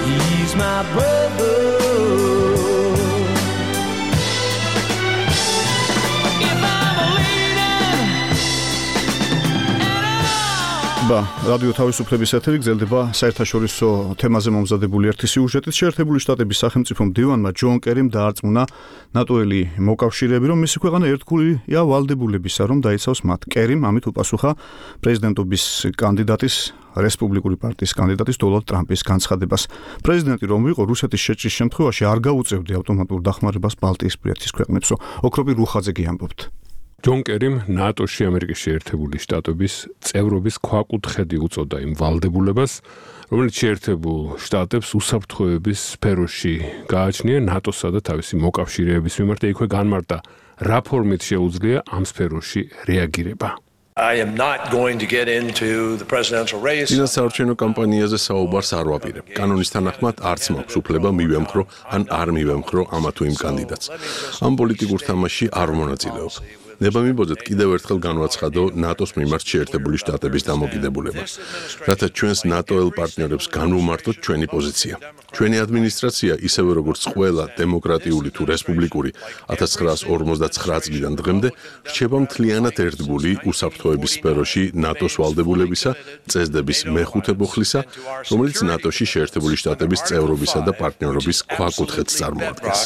he's my brother. If I'm a leader, და რადიო თავისუფლების ეთერი გრძელდება საერთაშორისო თემაზე მომზადებული ერთი სიუჟეტით. შეერთებული შტატების სახელმწიფო მდივანმა ჯონ კერიმ დაარწმუნა ნატოელი მოკავშირეები, რომ მისი ქვეყანა ერთგულია ვალდებულებისა, რომ დაიცავს მათ. კერიმ ამით უპასუხა პრეზიდენტობის კანდიდატის რესპუბლიკური პარტიის კანდიდატის დონალდ ტრამპის განცხადებას. პრეზიდენტი რომ იყო რუსეთის შეჭრის შემთხვევაში არ გაუწევდი ავტომატურ დახმარებას ბალტიისპირეთის ქვეყნებსო. ოქროპი რუხაძე გიამბობთ. ჯონ კერიმ ნატოში ამერიკის შეერთებული შტატების წევრობის ქვაკუთხედი უწოდა იმ ვალდებულებას, რომელიც შეერთებულ შტატებს უსაფრთხოების სფეროში გააჩნია ნატოსა და თავისი მოკავშირეების მიმართ. იქვე განმარტა, რა ფორმით შეუძლია ამ სფეროში რეაგირება. I am not going to get into the presidential race. წინასაარჩევნო კამპანიაზე საუბარს არ ვაპირებ. კანონის თანახმად არც მაქვს უფლება მივემხრო ან არ მივემხრო ამა თუ იმ კანდიდატს. ამ პოლიტიკურ თამაშში არ მონაწილეობ. ნება მიბოძეთ კიდევ ერთხელ განვაცხადო ნატოს მიმართ შეერთებული შტატების დამოკიდებულებას, რათა ჩვენს ნატოელ პარტნიორებს განვუმარტოთ ჩვენი პოზიცია. ჩვენი ადმინისტრაცია, ისევე როგორც ყველა დემოკრატიული თუ რესპუბლიკური ათას ცხრაას ორმოცდაცხრა წლიდან დღემდე, რჩება მთლიანად ერთგული უსაფრთხოების სფეროში ნატოს ვალდებულებისა, წესდების მეხუთე ბოხლისა, რომელიც ნატოში შეერთებული შტატების წევრობისა და პარტნიორობის ქვაკუთხედს წარმოადგენს.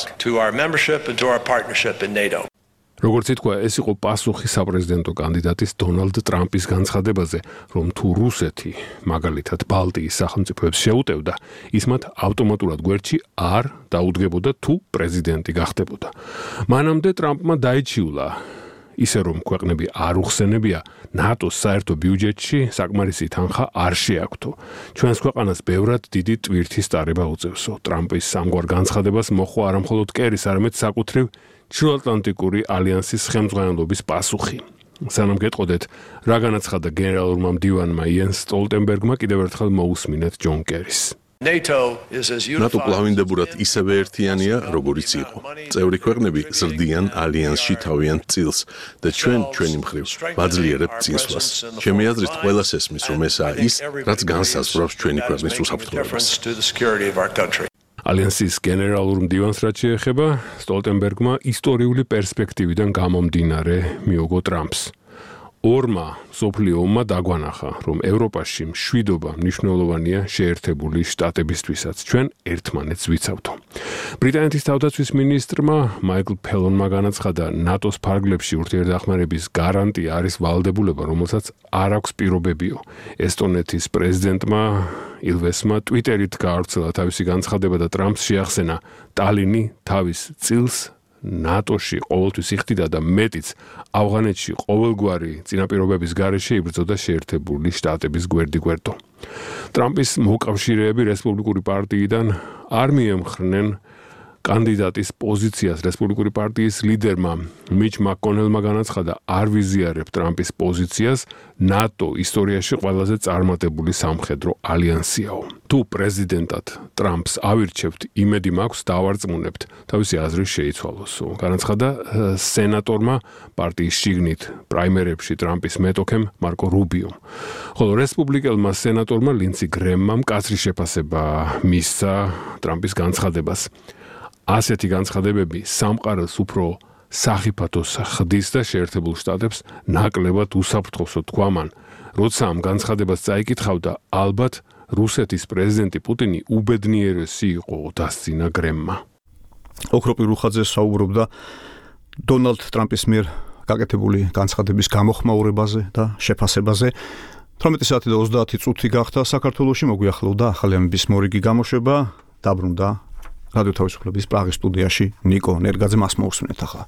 როგორც ითქვა, ეს იყო პასუხი საპრეზიდენტო კანდიდატის დონალდ ტრამპის განცხადებაზე, რომ თუ რუსეთი მაგალითად ბალტიის სახელმწიფოებს შეუტევდა, ის მათ ავტომატურად გვერდში არ დაუდგებოდა თუ პრეზიდენტი გახდებოდა. მანამდე ტრამპმა დაიჩიულა ისე რომ ქვეყნები არ უხსენებია ნატოს საერთო ბიუჯეტში საკმარისი თანხა არ შეაქვთო. ჩვენს ქვეყანას ბევრად დიდი ტვირთის ტარება უწევსო. ტრამპის სამგვარ განცხადებას მოჰყვა არამხოლოდ კერის, არამედ საკუთრივ ჩრდილოატლანტიკური ალიანსის ხელმძღვანელობის პასუხი. სანამ გეტყოდეთ, რა განაცხადა გენერალურმა მდივანმა იენს სტოლტენბერგმა, კიდევ ერთხელ მოусმინეთ ჯონ კერის. ნატო კლავინდებურად ისევე ერთიანია, როგორიც იყო. წევრი ქვეყნები ზრდიან ალიანსში თავიანთ წილს და ჩვენ ჩვენი მხრივ ვაძლიერებთ წინსვლას. ჩემი აზრით, ყველას ესმის, რომ ესაა ის, რაც განსაზღვრავს ჩვენი ქვეყნის უსაფრთხოებას. ალიანსის გენერალურ მდივანს რაც შეეხება, სტოლტენბერგმა ისტორიული პერსპექტივიდან გამომდინარე მიუგო ტრამპს. ორმა სოფლიო ომმა დაგვანახა, რომ ევროპაში მშვიდობა მნიშვნელოვანია შეერთებული შტატებისთვისაც. ჩვენ ერთმანეთს ვიცავთ. ბრიტანეთის თავდაცვის მინისტრმა მაიკლ ფელონმა განაცხადა, ნატოს ფარგლებში ურთიერთდახმარების გარანტია არის ვალდებულება, რომელსაც არ აქვს პირობებიო. ესტონეთის პრეზიდენტმა ილვესმა ტვიტერით გაავრცელა თავისი განცხადება და ტრამპს შეახსენა, ტალინი თავის წილს ნატოში ყოველთვის იხდიდა და მეტიც ავღანეთში ყოველგვარი წინაპირობების გარეშე იბრძოდა შეერთებული შტატების გვერდიგვერდო. ტრამპის მოკავშირეები რესპუბლიკური პარტიიდან არ მიემხრნენ კანდიდატის პოზიციას. რესპუბლიკური პარტიის ლიდერმა მიჩ მაკკონელმა განაცხადა, არ ვიზიარებ ტრამპის პოზიციას, ნატო ისტორიაში ყველაზე წარმატებული სამხედრო ალიანსიაო. თუ პრეზიდენტად ტრამპს ავირჩევთ, იმედი მაქვს დავარწმუნებთ, თავისი აზრი შეიცვალოსო. განაცხადა სენატორმა პარტიის შიგნით პრაიმერებში ტრამპის მეტოქემ მარკო რუბიომ. ხოლო რესპუბლიკელმა სენატორმა ლინცი გრემმა მკაცრი შეფასება მისცა ტრამპის განცხადებას. ასეთი განცხადებები სამყაროს უფრო სახიფათოს ხდის და შეერთებულ შტატებს ნაკლებად უსაფრთხოსო თქვა მან. როცა ამ განცხადებას წაიკითხავდა, ალბათ რუსეთის პრეზიდენტი პუტინი უბედნიერესი იყო, დასცინა გრემმა. ოქროპი რუხაძე საუბრობდა დონალდ ტრამპის მიერ გაკეთებული განცხადების გამოხმაურებაზე და შეფასებაზე. თორმეტი საათი და ოცდაათი წუთი გახდა საქართველოში, მოგვიახლოვდა ახალი ამბის მორიგი გამოშვება, დაბრუნდა რადიო თავისუფლების პრაღის სტუდიაში ნიკო ნერგაძე, მას მოусმინეთ ახლა.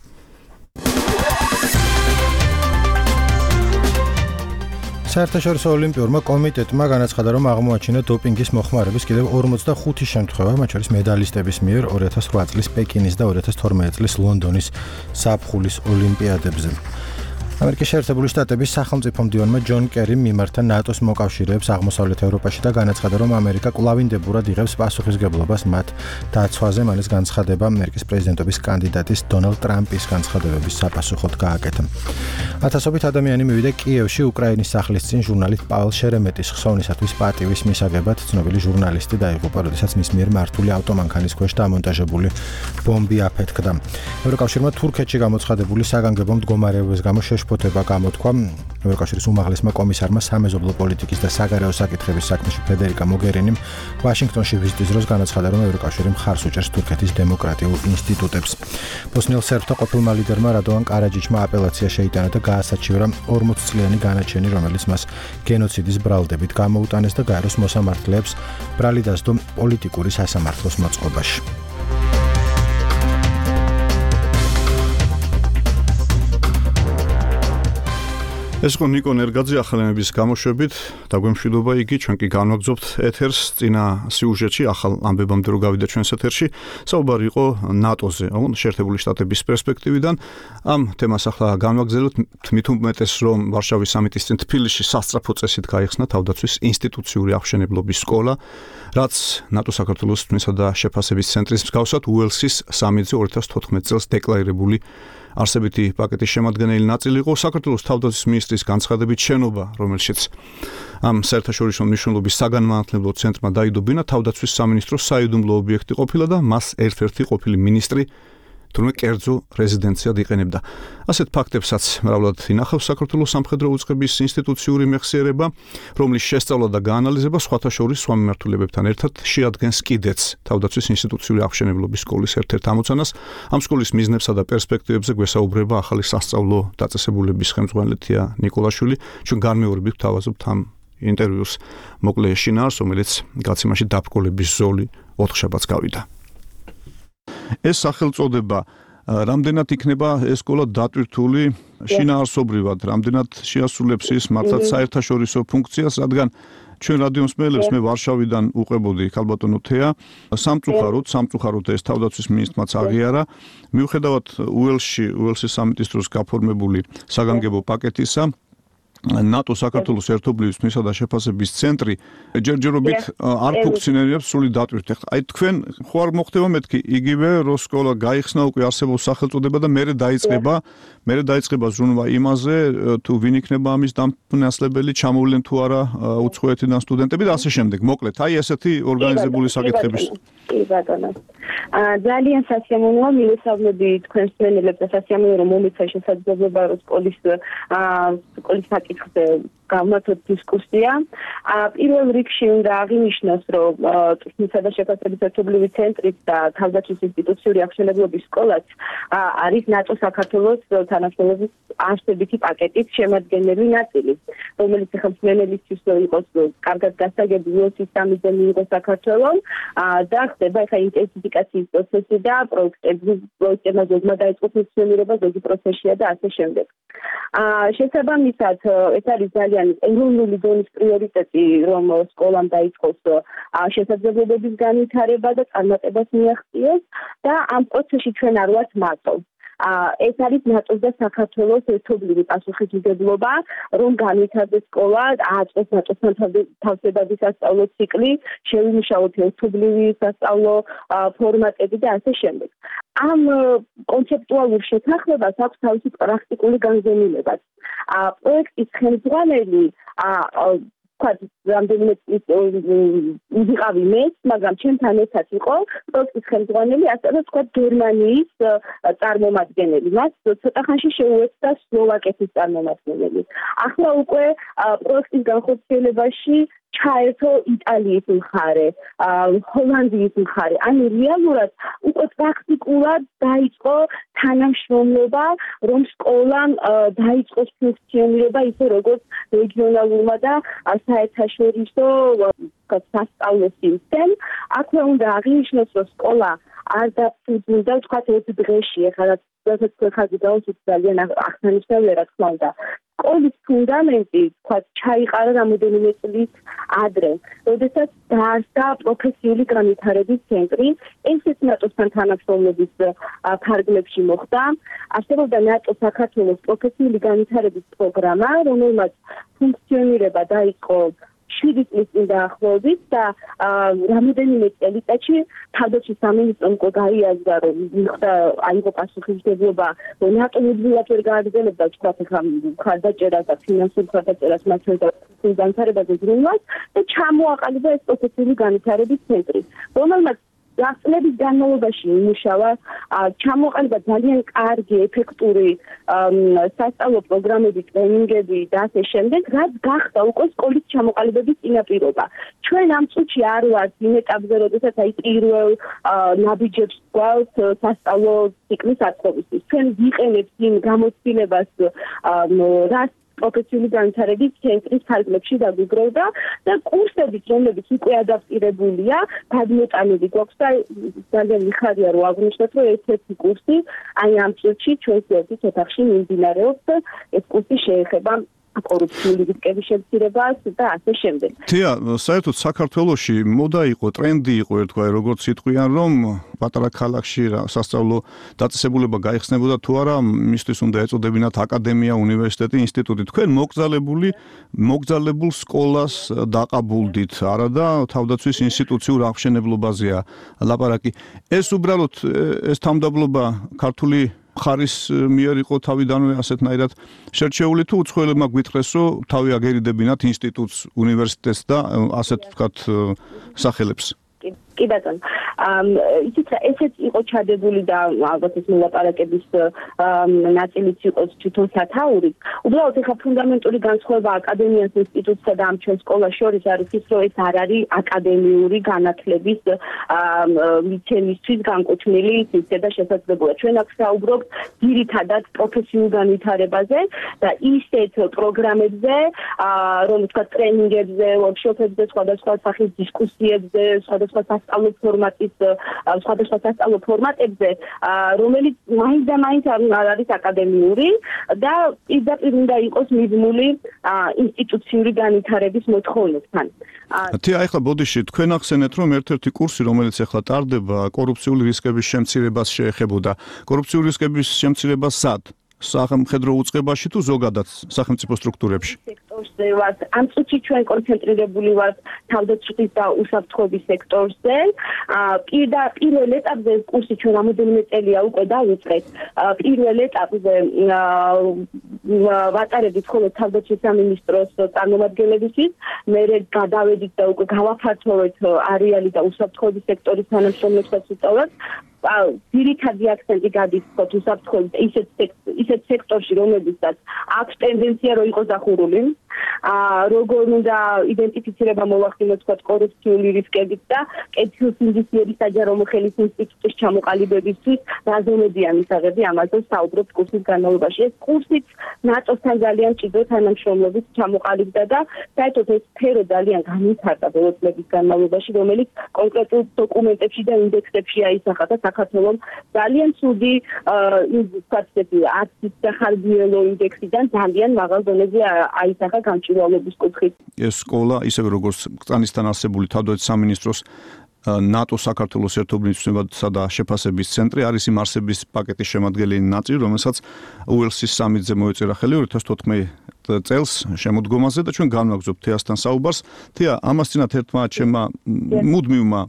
საერთაშორისო ოლიმპიურმა კომიტეტმა განაცხადა, რომ აღმოაჩინა დოპინგის მოხმარების კიდევ ორმოცდახუთი შემთხვევა, მათ შორის მედალისტების მიერ ორი ათას ოთხ წლის პეკინის და ორი ათას თორმეტი წლის ლონდონის ზაფხულის ოლიმპიადებზე. ამერიკის შეერთებული შტატების სახელმწიფო მდივანმა ჯონ კერიმ მიმართა ნატოს მოკავშირეებს აღმოსავლეთ ევროპაში და განაცხადა, რომ ამერიკა კვლავინდებურად იღებს პასუხისგებლობას მათ დაცვაზე. მან ეს განცხადება ამერიკის პრეზიდენტობის კანდიდატის დონალდ ტრამპის განცხადებების საპასუხოდ გააკეთა. ათასობით ადამიანი მივიდა კიევში უკრაინის სახლის წინ ჟურნალისტ პაվել შერემეტის ხსოვნისათვის პატივის მისაღებად. ცნობილი ჟურნალისტი დაიღუპა, როდესაც მის მიერ მართული ავტომანქანის ქვეშ დამონტაჟებული ბომბი აფეთქდა. ევროკავშირმა თურქეთში გამოცხადებული საგანგებო მდგომარეობის გამო შეშფოთება გამოთქვა. ევროკავშირის უმაღლესმა კომისარმა სამეზობლო პოლიტიკის და საგარეო საკითხების საქმეში ფედერიკა მოგერინიმ ვაშინგტონში ვიზიტის დროს განაცხადა, რომ ევროკავშირი მხარს უჭერს თურქეთის დემოკრატიულ ინსტიტუტებს. ბოსნიელ სერბთა ყოფილმა ლიდერმა რადოვან კარაჯიჩმა აპელაცია შეიტანა და გაასაჩივრა ორმოც წლიანი განაჩენი, რომელიც მას გენოციდის ბრალდებით გამოუტანეს და გაეროს მოსამართლეებს ბრალი დასდო პოლიტიკური სასამართლოს მოწყობაში. ეს იყო ნიკო ნერგაძე ახალამების გამოშვებით, დაგვემშვიდობა იგი, ჩვენ კი განვაგრძობთ ეთერს. წინა სიუჟეტში ახალ ამბებამდე რო გავიდა ჩვენს ეთერში, საუბარი იყო ნატოზე, შეერთებული შტატების პერსპექტივიდან. ამ თემას ახლა განვაგრძელებთ, თმით უმეტეს რომ ვარშავის სამიტის წინ თბილისში სასწრაფო წესით გაიხსნა თავდაცვის ინსტიტუციური აღშენებლობის სკოლა, რაც ნატო საქართველოს თქმისა და შეფასების ცენტრის მსგავსად უელსის სამიტზე ორი ათას თოთხმეტ წელს დეკლარირებული არსებითი პაკეტის შემადგენელი ნაწილი იყო. საქართველოს თავდაცვის მინისტრის განცხადებით შენობა, რომელშიც ამ საერთაშორისო მნიშვნელობის საგანმანათლებლო ცენტრმა დაიდო ბინა, თავდაცვის სამინისტროს საიდუმლო ობიექტი ყოფილა და მას ერთ-ერთი ყოფილი მინისტრი თურმე კერძო რეზიდენციად იყენებდა. ასეთ ფაქტებსაც მრავლად ინახავს საქართველოს სამხედრო უწყების ინსტიტუციური მეხსიერება, რომლის შესწავლა და გაანალიზება სხვათა შორის სხვა მიმართულებებთან ერთად შეადგენს კიდეც თავდაცვის ინსტიტუციური აღშენებლობის სკოლის ერთ-ერთ ამოცანას. ამ სკოლის მიზნებსა და პერსპექტივებზე გვესაუბრება ახალი სასწავლო დაწესებულების ხელმძღვანელი ნიკოლაშვილი. ჩვენ განმეორებით ვთავაზობთ ამ ინტერვიუს მოკლე შინაარსს, რომელიც გაცემაში დაბრკოლების ზოლი ოთხშაბათს გავიდა. ეს სახელწოდება რამდენად იქნება ეს სკოლა დატვირთული შინაარსობრივად, რამდენად შეასრულებს ის მართლაც საერთაშორისო ფუნქციას, რადგან ჩვენ რადიო მსმენელებს მე ვარშავიდან უყებოდი ქალბატონო თეა, სამწუხაროდ, სამწუხაროდ ეს თავდაცვის მინისტრმაც აღიარა, მიუხედავად უელსში, უელსის სამიტის დროს გაფორმებული საგანგებო პაკეტისა, ნატო საქართველოს ერთობლივი მისსა და შეფასების ცენტრი ჯერჯერობით არ ფუნქციონირებს სრული დატვირთვით. ეხლა აი თქვენ ხო არ მოხდება მეთქი იგივე რომ სკოლა გაიხსნა უკვე არსებობს სახელწოდება და მერე დაიწყება მერე დაიწყება ზრუნვა იმაზე თუ ვინ იქნება ამის დამფუძნებელი ჩამოვლენ თუ არა უცხოეთიდან სტუდენტები და ასე შემდეგ. მოკლედ აი ესეთი ორგანიზებული საკითხების კი ბატონო. ძალიან სასიამოვნოა მივესალმები თქვენს მენელებს და სასიამოვნოა რომ მომიცა შესაძლებლობა რომ სკოლის სკოლის საკითხზე გამართოთ დისკუსია. პირველ რიგში უნდა აღინიშნოს, რომ ტექნიკისა და შეფასების ერთობლივი ცენტრი და თავდაცვის ინსტიტუციური აღშენებლობის სკოლაც არის ნატო საქართველოს თანამშრომლობის არსებითი პაკეტის შემადგენელი ნაწილი, რომელიც ხელმძღვანელისთვის იყოს კარგად გასაგები სისტემაზე მიიღო საქართველოს და ხდება ახლა ინტენსიფიკაციის პროცესი და პროექტები პროექტებმა ზოგმა დაიწყო ფუნქციონირება, ზოგი პროცესია და ასე შემდეგ. შესაბამისად, ეს არის ძალიან ეროვნული დონის პრიორიტეტი, რომ სკოლამ დაიწყოს შესაძლებლობების განვითარება და წარმატებას მიაღწიოს და ამ პროცესში ჩვენ არ ვართ მარტო. ეს არის ნატოს და საქართველოს ერთობლივი პასუხისმგებლობა, რომ განვითარდეს სკოლა, აწყოს ნატოსთან თავსებადი სასწავლო ციკლი, შევიმუშაოთ ერთობლივი სასწავლო ფორმატები და ასე შემდეგ. ამ კონცეპტუალურ შეთანხმებას აქვს თავისი პრაქტიკული განზომილებაც. პროექტის ხელმძღვანელი ვთქვათ, რამდენიმე წლის ვიყავი მეც, მაგრამ ჩემთან ერთად იყო პროექტის ხელმძღვანელი, ასევე ვთქვათ, გერმანიის წარმომადგენელი. მას ცოტა ხანში შეუერთდა სლოვაკეთის წარმომადგენელი. ახლა უკვე პროექტის განხორციელებაში ჩაერთო იტალიის მხარე, ჰოლანდიის მხარე. ანუ რეალურად უკვე პრაქტიკულად დაიწყო თანამშრომლობა, რომ სკოლამ დაიწყოს ფუნქციონირება ისე როგორც რეგიონალურმა და საერთაშორისო სასწავლო სისტემ. აქვე უნდა აღინიშნოს, რომ სკოლა არ დაფუძნდა, ვთქვათ, ერთ დღეში, ახლა რასაც ხაზი გაუსვით ძალიან აღსანიშნავია, რა თქმა უნდა. სკოლის ფუნდამენტი, ვთქვათ, ჩაიყარა რამოდენიმე წლის ადრე, როდესაც დაარსდა პროფესიული განვითარების ცენტრი, ესეც ნატოსთან თანამშრომლობის ფარგლებში მოხდა. არსებობდა ნატო საქართველოს პროფესიული განვითარების პროგრამა, რომელმაც ფუნქციონირება დაიწყო შვიდი წლის წინ დაახლოებით და რამოდენიმე წელიწადში თავდაცვის სამინისტრომ უკვე გაიაზრა, რომ მიხდა აიღო პასუხისმგებლობა, რომ ნატო მუდმივად ვერ გააგრძელებდა ვთქვათ ახლა მხარდაჭერას და ფინანსურ მხარდაჭერას მასშტაბურ განვითარებაზე ზრუნვას და ჩამოაყალიბა ეს პროფესიული განვითარების ცენტრი, რომელმაც წლების განმავლობაში იმუშავა, ჩამოყალიბა ძალიან კარგი, ეფექტური სასწავლო პროგრამები, ტრენინგები და ასე შემდეგ, რაც გახდა უკვე სკოლის ჩამოყალიბების წინაპირობა. ჩვენ ამ წუთში არ ვართ იმ ეტაპზე, როდესაც აი პირველ ნაბიჯებს გვაქვს სასწავლო ციკლის აწყობისთვის. ჩვენ ვიყენებთ იმ გამოცდილებას, რაც პროფესიული განვითარების ცენტრის ფარგლებში დაგვიგროვდა და კურსებიც, რომლებიც უკვე ადაპტირებულია, გადმოტანილი გვაქვს და ძალიან მიხარია, რომ აღვნიშნოთ, რომ ერთ-ერთი კურსი აი ამ წუთში ჩვენს ერთის ოთახში მიმდინარეობს და ეს კურსი შეეხება კორუფციული რისკების შემცირებას და ასე შემდეგ. თია, საერთოდ საქართველოში მოდა იყო, ტრენდი იყო ერთგვარი, როგორც იტყვიან, რომ პატარა ქალაქში სასწავლო დაწესებულება გაიხსნებოდა თუ არა, მისთვის უნდა ეწოდებინათ აკადემია, უნივერსიტეტი, ინსტიტუტი. თქვენ მოგზალებული, მოგზალებულ სკოლას დაყაბულდით, არა და თავდაცვის ინსტიტუციურ აღშენებლობაზეა ლაპარაკი. ეს უბრალოდ ეს თავდაბლობა ქართული ხარის მიერ იყო თავიდანვე ასეთნაირად შერჩეული თუ უცხოელებმა გვითხრეს, რომ თავი აგერიდებინათ ინსტიტუტს, უნივერსიტეტს და ასეთ ვთქვათ სახელებს. კი ბატონო. იცით რა, ესეც იყო ჩადებული და ალბათ ეს მოლაპარაკების ნაწილიც იყოს თვითონ სათაური. უბრალოდ ეხა ფუნდამენტური განსხვავება აკადემიას, ინსტიტუტსა და ამ ჩვენ სკოლას შორის არის ის, რომ ეს არ არის აკადემიური განათლების მიცემისთვის განკუთვნილი სისტემა და შესაძლებლობა. ჩვენ აქ საუბრობთ ძირითადად პროფესიულ განვითარებაზე და ისეთ პროგრამებზე, რომ თქვა ტრენინგებზე, ვორქშოპებზე, სხვადასხვა სახის დისკუსიებზე, სხვადასხვა სასწავლო ფორმატის, სხვადასხვა სასწავლო ფორმატებზე, რომელიც მაინც და მაინც არ არის აკადემიური და პირდაპირ უნდა იყოს მიბმული ინსტიტუციური განვითარების მოთხოვნებთან. თია, ახლა ბოდიში თქვენ ახსენეთ, რომ ერთ-ერთი კურსი, რომელიც ახლა ტარდება, კორუფციული რისკების შემცირებას შეეხებოდა. კორუფციული რისკების შემცირება სად? სახელმხედრო უწყებაში თუ ზოგადად სახელმწიფო სტრუქტურებში? სექტორზე ვართ. ამ წუთში ჩვენ კონცენტრირებული ვართ თავდაცვის და უსაფრთხოების სექტორზე. პირდა პირველ ეტაპზე კურსი ჩვენ რამოდენიმე წელია უკვე დავიწყეთ. პირველ ეტაპზე ვატარებთ მხოლოდ თავდაცვის სამინისტროს წარმომადგენლებისთვის, მერე გადავედით და უკვე გავაფართოვეთ არეალი და უსაფრთხოების სექტორის თანამშრომლებსაც ვუსწავლოთ. ძირითადი აქცენტი გადის უსაფრთხოების ისეთ ისეთ სექტორში, რომელსაც აქვს ტენდენცია რომ იყოს დახურული. როგორ უნდა იდენტიფიცირება მოვახდინოთ თქვა კორუფციული რისკებით და კეთილსინდისიერი საჯარო მოხელის ინსტიტუტის ჩამოყალიბებისთვის რაზომებია მისაღები ამაზე საუბრობთ კურსის განმავლობაში. ეს კურსიც ნატოსთან ძალიან ჭიდრო თანამშრომლობით ჩამოყალიბდა და საერთოდ ეს სფერო ძალიან განვითარდა ბოლო წლების განმავლობაში, რომელიც კონკრეტულ დოკუმენტებში და ინდექსებში აისახა და საქართველოს ძალიან ცუდი ვთქვათ ესეთი ათის სახალბიელო ინდექსიდან ძალიან მაღალ დონეზე აისახა გამჭვირვალობის კუთხით. ეს სკოლა ისევე როგორც კრწანისთან არსებული თავდაცვის სამინისტროს ნატო საქართველოს ერთობლივებისა და შეფასების ცენტრი არის იმ არსების პაკეტის შემადგენელი ნაწილი, რომელსაც უელსის სამიტზე მოეწერა ხელი ორი ათას თოთხმეტ წელს შემოდგომაზე და ჩვენ განვაგრძობთ თეასთან საუბარს. თეა, ამასთანავე ერთმა ჩემმა მუდმივმა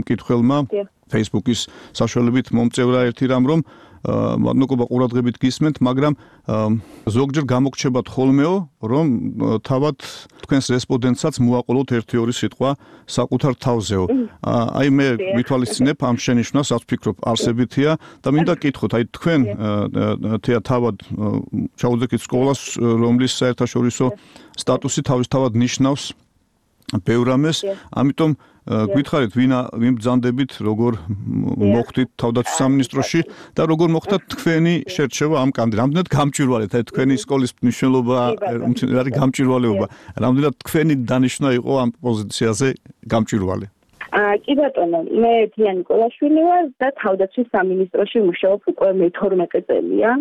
მკითხველმა Facebook-ის საშუალებით მომწევრა ერთი რამ, რომ მადლობა ყურადღებით გისმენთ, მაგრამ ზოგჯერ გამოგრჩებათ ხოლმეო, რომ თავად თქვენს რესპონდენტსაც მოაყოლოთ ერთი ორი სიტყვა საკუთარ თავზეო. აი მე ვითვალისწინებ ამ შენიშვნას, რაც ვფიქრობ არსებითია და მინდა კითხოთ, აი თქვენ თეა თავად ჩაუდგეთ სკოლას, რომლის საერთაშორისო სტატუსი თავისთავად ნიშნავს ბევრ რამეს, ამიტომ გითხარით ვინ ვინ ბრძანდებით, როგორ მოხვდით თავდაცვის სამინისტროში და როგორ მოხდა თქვენი შერჩევა ამ კანდიდატად. რამდენად გამჭვირვალეთ, აი თქვენი სკოლის მნიშვნელობა, არის გამჭვირვალეობა, რამდენად თქვენი დანიშვნა იყო ამ პოზიციაზე გამჭვირვალე? კი ბატონო, მე თია ნიკოლაშვილი ვარ და თავდაცვის სამინისტროში მუშაობ უკვე მეთორმეტე წელია.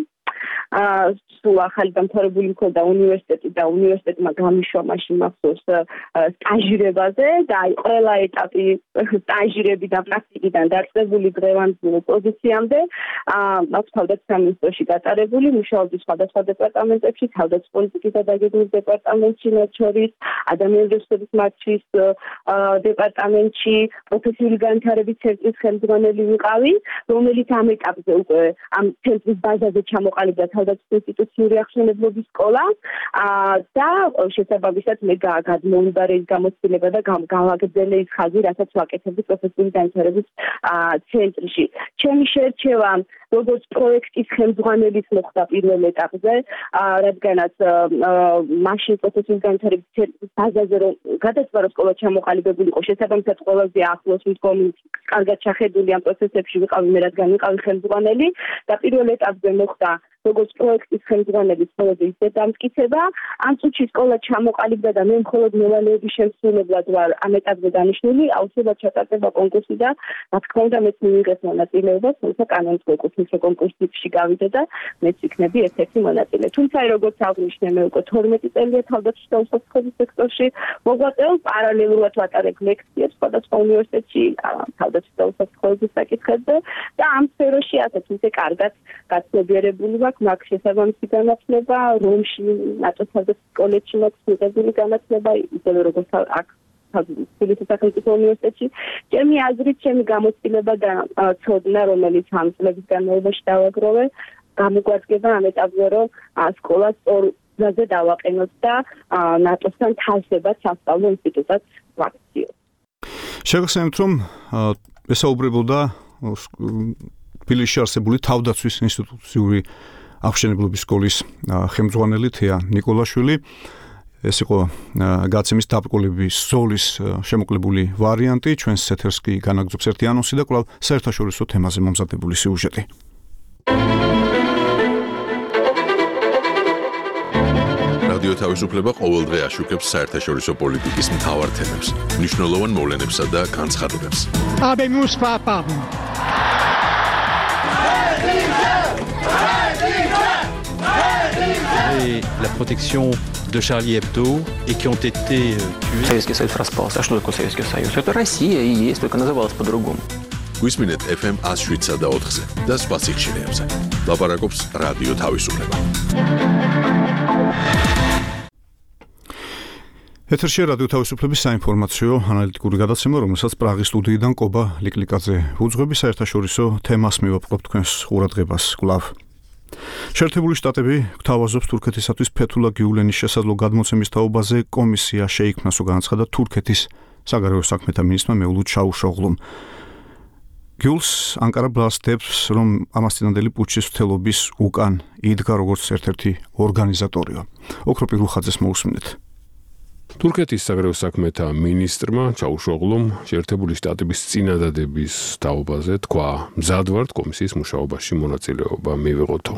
სულ ახალი დამთავრებული მქონდა უნივერსიტეტი და უნივერსიტეტმა გამიშვა მაშინ მახსოვს სტაჟირებაზე და აი ყველა ეტაპი სტაჟირებიდან პრაქტიკიდან დაწყებული დღევანდელ პოზიციამდე აქვს თავდაცვის სამინისტროში გატარებული, მუშაობდი სხვადასხვა დეპარტამენტებში, თავდაცვის პოლიტიკის და დაგეგმვის დეპარტამენტში, მათ შორის ადამიანური რესურსების მართვის დეპარტამენტში, პროფესიული განვითარების ცენტრის ხელმძღვანელი ვიყავი, რომელიც ამ ეტაპზე უკვე ამ ცენტრის ბაზაზე ჩამოყალიბდა თავდაცვის ინსტიტუციური აღშენებლობის სკოლა და შესაბამისად მე გადმოვიბარე ის გამოცდილება და გავაგრძელე ის ხაზი, რასაც ვაკეთებდი პროფესიული განვითარების ცენტრში. ჩემი შერჩევა როგორც პროექტის ხელმძღვანელის მოხდა პირველ ეტაპზე, რადგანაც მაშინ პროფესიული განვითარების ცენტრის ბაზაზე რომ გადაწყვეტა რომ სკოლა ჩამოყალიბებული იყო, შესაბამისად ყველაზე ახლოს მდგომი, კარგად ჩახედული ამ პროცესებში ვიყავი მე, რადგან ვიყავი ხელმძღვანელი და პირველ ეტაპზე მოხდა როგორც პროექტის ხელმძღვანელის მხოლოდ ის დამტკიცება, ამ წუთში სკოლა ჩამოყალიბდა და მე მხოლოდ მოვალეობის შემსრულებლად ვარ ამ ეტაპზე დანიშნული, აუცილებლად ჩატარდება კონკურსი და რა თქმა უნდა მეც მიიღეს მონაწილეობა, თუმცა კანონმდებლო კურსის კონკურსში გავიდე და მეც იქნები ერთ-ერთი მონაწილე. თუმცა როგორც აღნიშნე, მე უკვე თორმეტი წელია თავდაცვის და უსაფრთხოების სექტორში მოღვაწეობ, პარალელურად ვატარებ ლექციებს სხვადასხვა უნივერსიტეტში თავდაცვის და უსაფრთხოების საკითხებზე და ამ სფეროში ასეთ ისე კარგად გაცნობიერებული ვარ. მაგ შესაბამისი განათლება, რომში ნატოს თავდაცვის კოლეჯში მაქვს მიღებული განათლება, ისევე როგორც აქ თბილისის სახელმწიფო უნივერსიტეტში. ჩემი აზრით, ჩემი გამოცდილება და ცოდნა, რომელიც ამ წლების განმავლობაში დავაგროვე, გამოგვადგება ამ ეტაპზე, რომ სკოლა სწორ გზაზე დავაყენოთ და ნატოსთან თავსებად სასწავლო ინსტიტუტად ვაქციოთ. შეგახსენებთ, რომ ესაუბრებოდა თბილისში არსებული თავდაცვის ინსტიტუციური აღშენებლობის სკოლის ხელმძღვანელი თეა ნიკოლაშვილი. ეს იყო გაცემის დაბრკოლების ზოლის შემოკლებული ვარიანტი, ჩვენს ეთერს კი განაგრძობს ერთი ანონსი და კვლავ საერთაშორისო თემაზე მომზადებული სიუჟეტი. რადიო თავისუფლება ყოველდღე აშუქებს საერთაშორისო პოლიტიკის მთავარ თემებს, მნიშვნელოვან მოვლენებსა და განცხადებებს. Habemus papam. Et la protection de Charlie Hebdo et qui ont été tués. Советский Союз распался. А что такое Советский Союз? Это Россия и есть, только называлась по-другому. გვისმინეთ ეფ ემ one oh seven და ოთხზე და სხვა სიხშირეებზე. ლაპარაკობს რადიო თავისუფლება. ეთერში რადიო თავისუფლების საინფორმაციო ანალიტიკური გადაცემა, რომელსაც პრაღის სტუდიიდან კობა ლიკლიკაძე უძღვები, საერთაშორისო თემას მივაპყრობ თქვენს ყურადღებას კვლავ. შეერთებული შტატები გვთავაზობს თურქეთისათვის ფეთულა გიულენის შესაძლო გადმოცემის თაობაზე კომისია შეიქმნას, განაცხადა თურქეთის საგარეო საქმეთა მინისტრმა მეულუდ ჩაუშოღლუმ. გიულს ანკარა ბრალსდებს, რომ ამასთანავე პუჩის მცდელობის უკან იდგა როგორც ერთ-ერთი ორგანიზატორია. ოქროპი რუხაძეს მოусმინეთ. თურქეთის საგარეო საქმეთა მინისტრმა ჩაუშოღლუმ შეერთებული შტატების წინადადების თაობაზე თქვა, მზად ვართ კომისიის მუშაობაში მონაწილეობა მივიღოთო.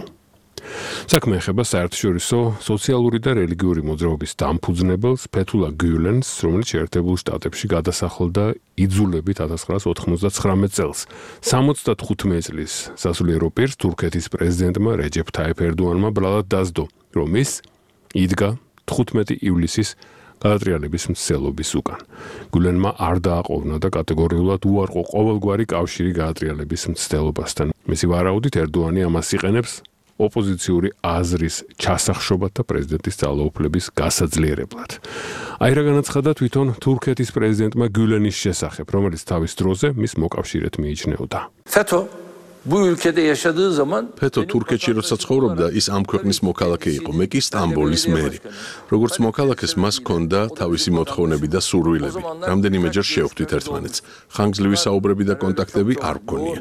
საქმე ეხება საერთაშორისო სოციალური და რელიგიური მოძრაობის დამფუძნებელს ფეთულა გიულენს, რომელიც შეერთებულ შტატებში გადასახლდა იძულებით ათას ცხრაას ოთხმოცდაცხრამეტ წელს. სამოცდათხუთმეტ წლის სასულიერო პირს თურქეთის პრეზიდენტმა რეჯეფ თაიფ ერდოანმა ბრალად დასდო, რომ ის იდგა თხუთმეტი ივლისის გადატრიალების მცდელობის უკან. გულენმა არ დააყოვნა და კატეგორიულად უარყო ყოველგვარი კავშირი გადატრიალების მცდელობასთან. მისი ვარაუდით ერდოანი ამას იყენებს ოპოზიციური აზრის ჩასახშობად და პრეზიდენტის ძალაუფლების გასაძლიერებლად. აი რა განაცხადა თვითონ თურქეთის პრეზიდენტმა გულენის შესახებ, რომელიც თავის დროზე მის მოკავშირედ მიიჩნეოდა. FETÖ bu ülkede yaşadığı zaman ფეთო თურქეთში როცა ცხოვრობდა, ის ამ ქვეყნის მოქალაქე იყო, მე კი სტამბოლის მერი. როგორც მოქალაქეს მას ჰქონდა თავისი მოთხოვნები და სურვილები. რამდენიმეჯერ შევხვდით ერთმანეთს. ხანგრძლივი საუბრები და კონტაქტები არ გვქონია.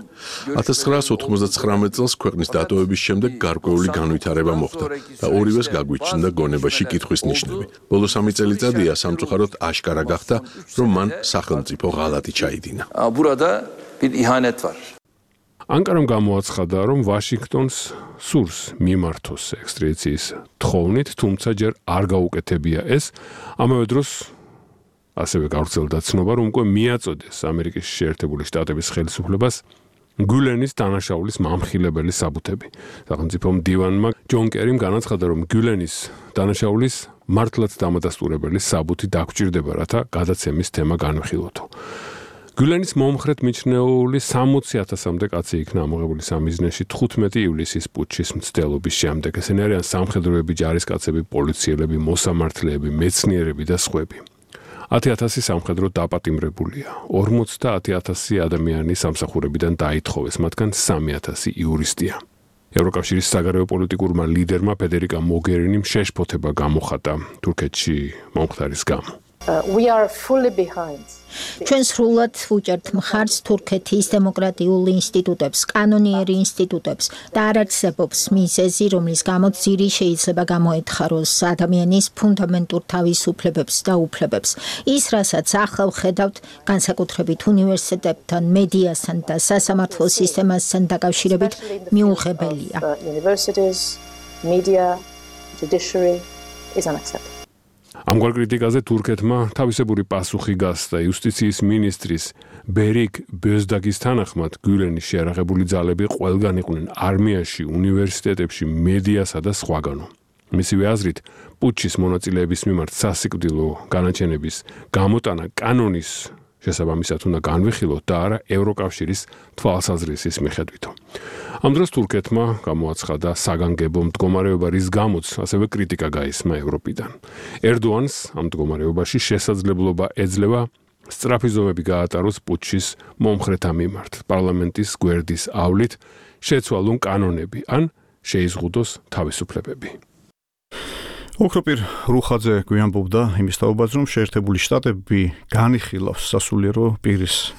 ათას ცხრაას ოთხმოცდაცხრამეტ წელს ქვეყნის დატოვების შემდეგ გარკვეული განვითარება მოხდა და ორივეს გაგვიჩნდა გონებაში კითხვის ნიშნები. ბოლო სამი წელიწადია სამწუხაროდ აშკარა გახდა, რომ მან სახელმწიფო ღალატი ჩაიდინა. burada bir ihanet var. ანკარამ გამოაცხადა, რომ ვაშინგტონს სურს მიმართოს ექსტრადიციის თხოვნით, თუმცა ჯერ არ გაუკეთებია ეს. ამავე დროს ასევე გავრცელდა ცნობა, რომ უკვე მიაწოდეს ამერიკის შეერთებული შტატების ხელისუფლებას გულენის დანაშაულის მამხილებელი საბუთები. სახელმწიფო მდივანმა ჯონ კერიმ განაცხადა, რომ გულენის დანაშაულის მართლაც დამადასტურებელი საბუთი დაგჭირდება, რათა გადაცემის თემა განვიხილოთო. გულენის მომხრედ მიჩნეული სამოცი ათასამდე კაცი იქნა ამოღებული სამიზნეში თხუთმეტი ივლისის პუჩის მცდელობის შემდეგ. ესენი არიან სამხედროები, ჯარისკაცები, პოლიციელები, მოსამართლეები, მეცნიერები და სხვები. ათი ათასი სამხედრო დაპატიმრებულია. ორმოცდაათი ათასი ადამიანი სამსახურებიდან დაითხოვეს, მათგან სამი ათასი იურისტია. ევროკავშირის საგარეო პოლიტიკურმა ლიდერმა ფედერიკა მოგერინიმ შეშფოთება გამოხატა თურქეთში მომხდარის გამო. We are fully behind. ჩვენ სრულად ვუჭერთ მხარს თურქეთის დემოკრატიულ ინსტიტუტებს, კანონიერი ინსტიტუტებს და არ არსებობს მიზეზი, რომლის გამოც ძირი შეიძლება გამოეთხაროს ადამიანის ფუნდამენტურ თავისუფლებებს და უფლებებს. ის, რასაც ახლა ვხედავთ, განსაკუთრებით უნივერსიტეტებთან, მედიასთან და სასამართლო სისტემასთან დაკავშირებით მიუღებელია. Universities, media, judiciary is unacceptable. ამგვარ კრიტიკაზე თურქეთმა თავისებური პასუხი გასცა იუსტიციის მინისტრის ბერიკ ბეზდაგის თანახმად გულენის შეარაღებული ძალები ყველგან იყვნენ არმიაში, უნივერსიტეტებში, მედიასა და სხვაგანო. მისივე აზრით, პუჩის მონაწილეების მიმართ სასიკვდილო განაჩენების გამოტანა კანონის შესაბამისად უნდა განვიხილოთ და არა ევროკავშირის თვალსაზრისის მიხედვითო. ამ დროს თურქეთმა გამოაცხადა საგანგებო მდგომარეობა, რის გამოც ასევე კრიტიკა გაისმა ევროპიდან. ერდოანს ამ მდგომარეობაში შესაძლებლობა ეძლევა სწრაფი ზომები გაატაროს პუჩის მომხრეთა მიმართ, პარლამენტის გვერდის ავლით შეცვალონ კანონები ან შეიზღუდოს თავისუფლებები. ოქროპირ რუხაძე გვიანბობდა იმის თაობაზე, რომ შეერთებული შტატები განიხილავს სასულიერო პირის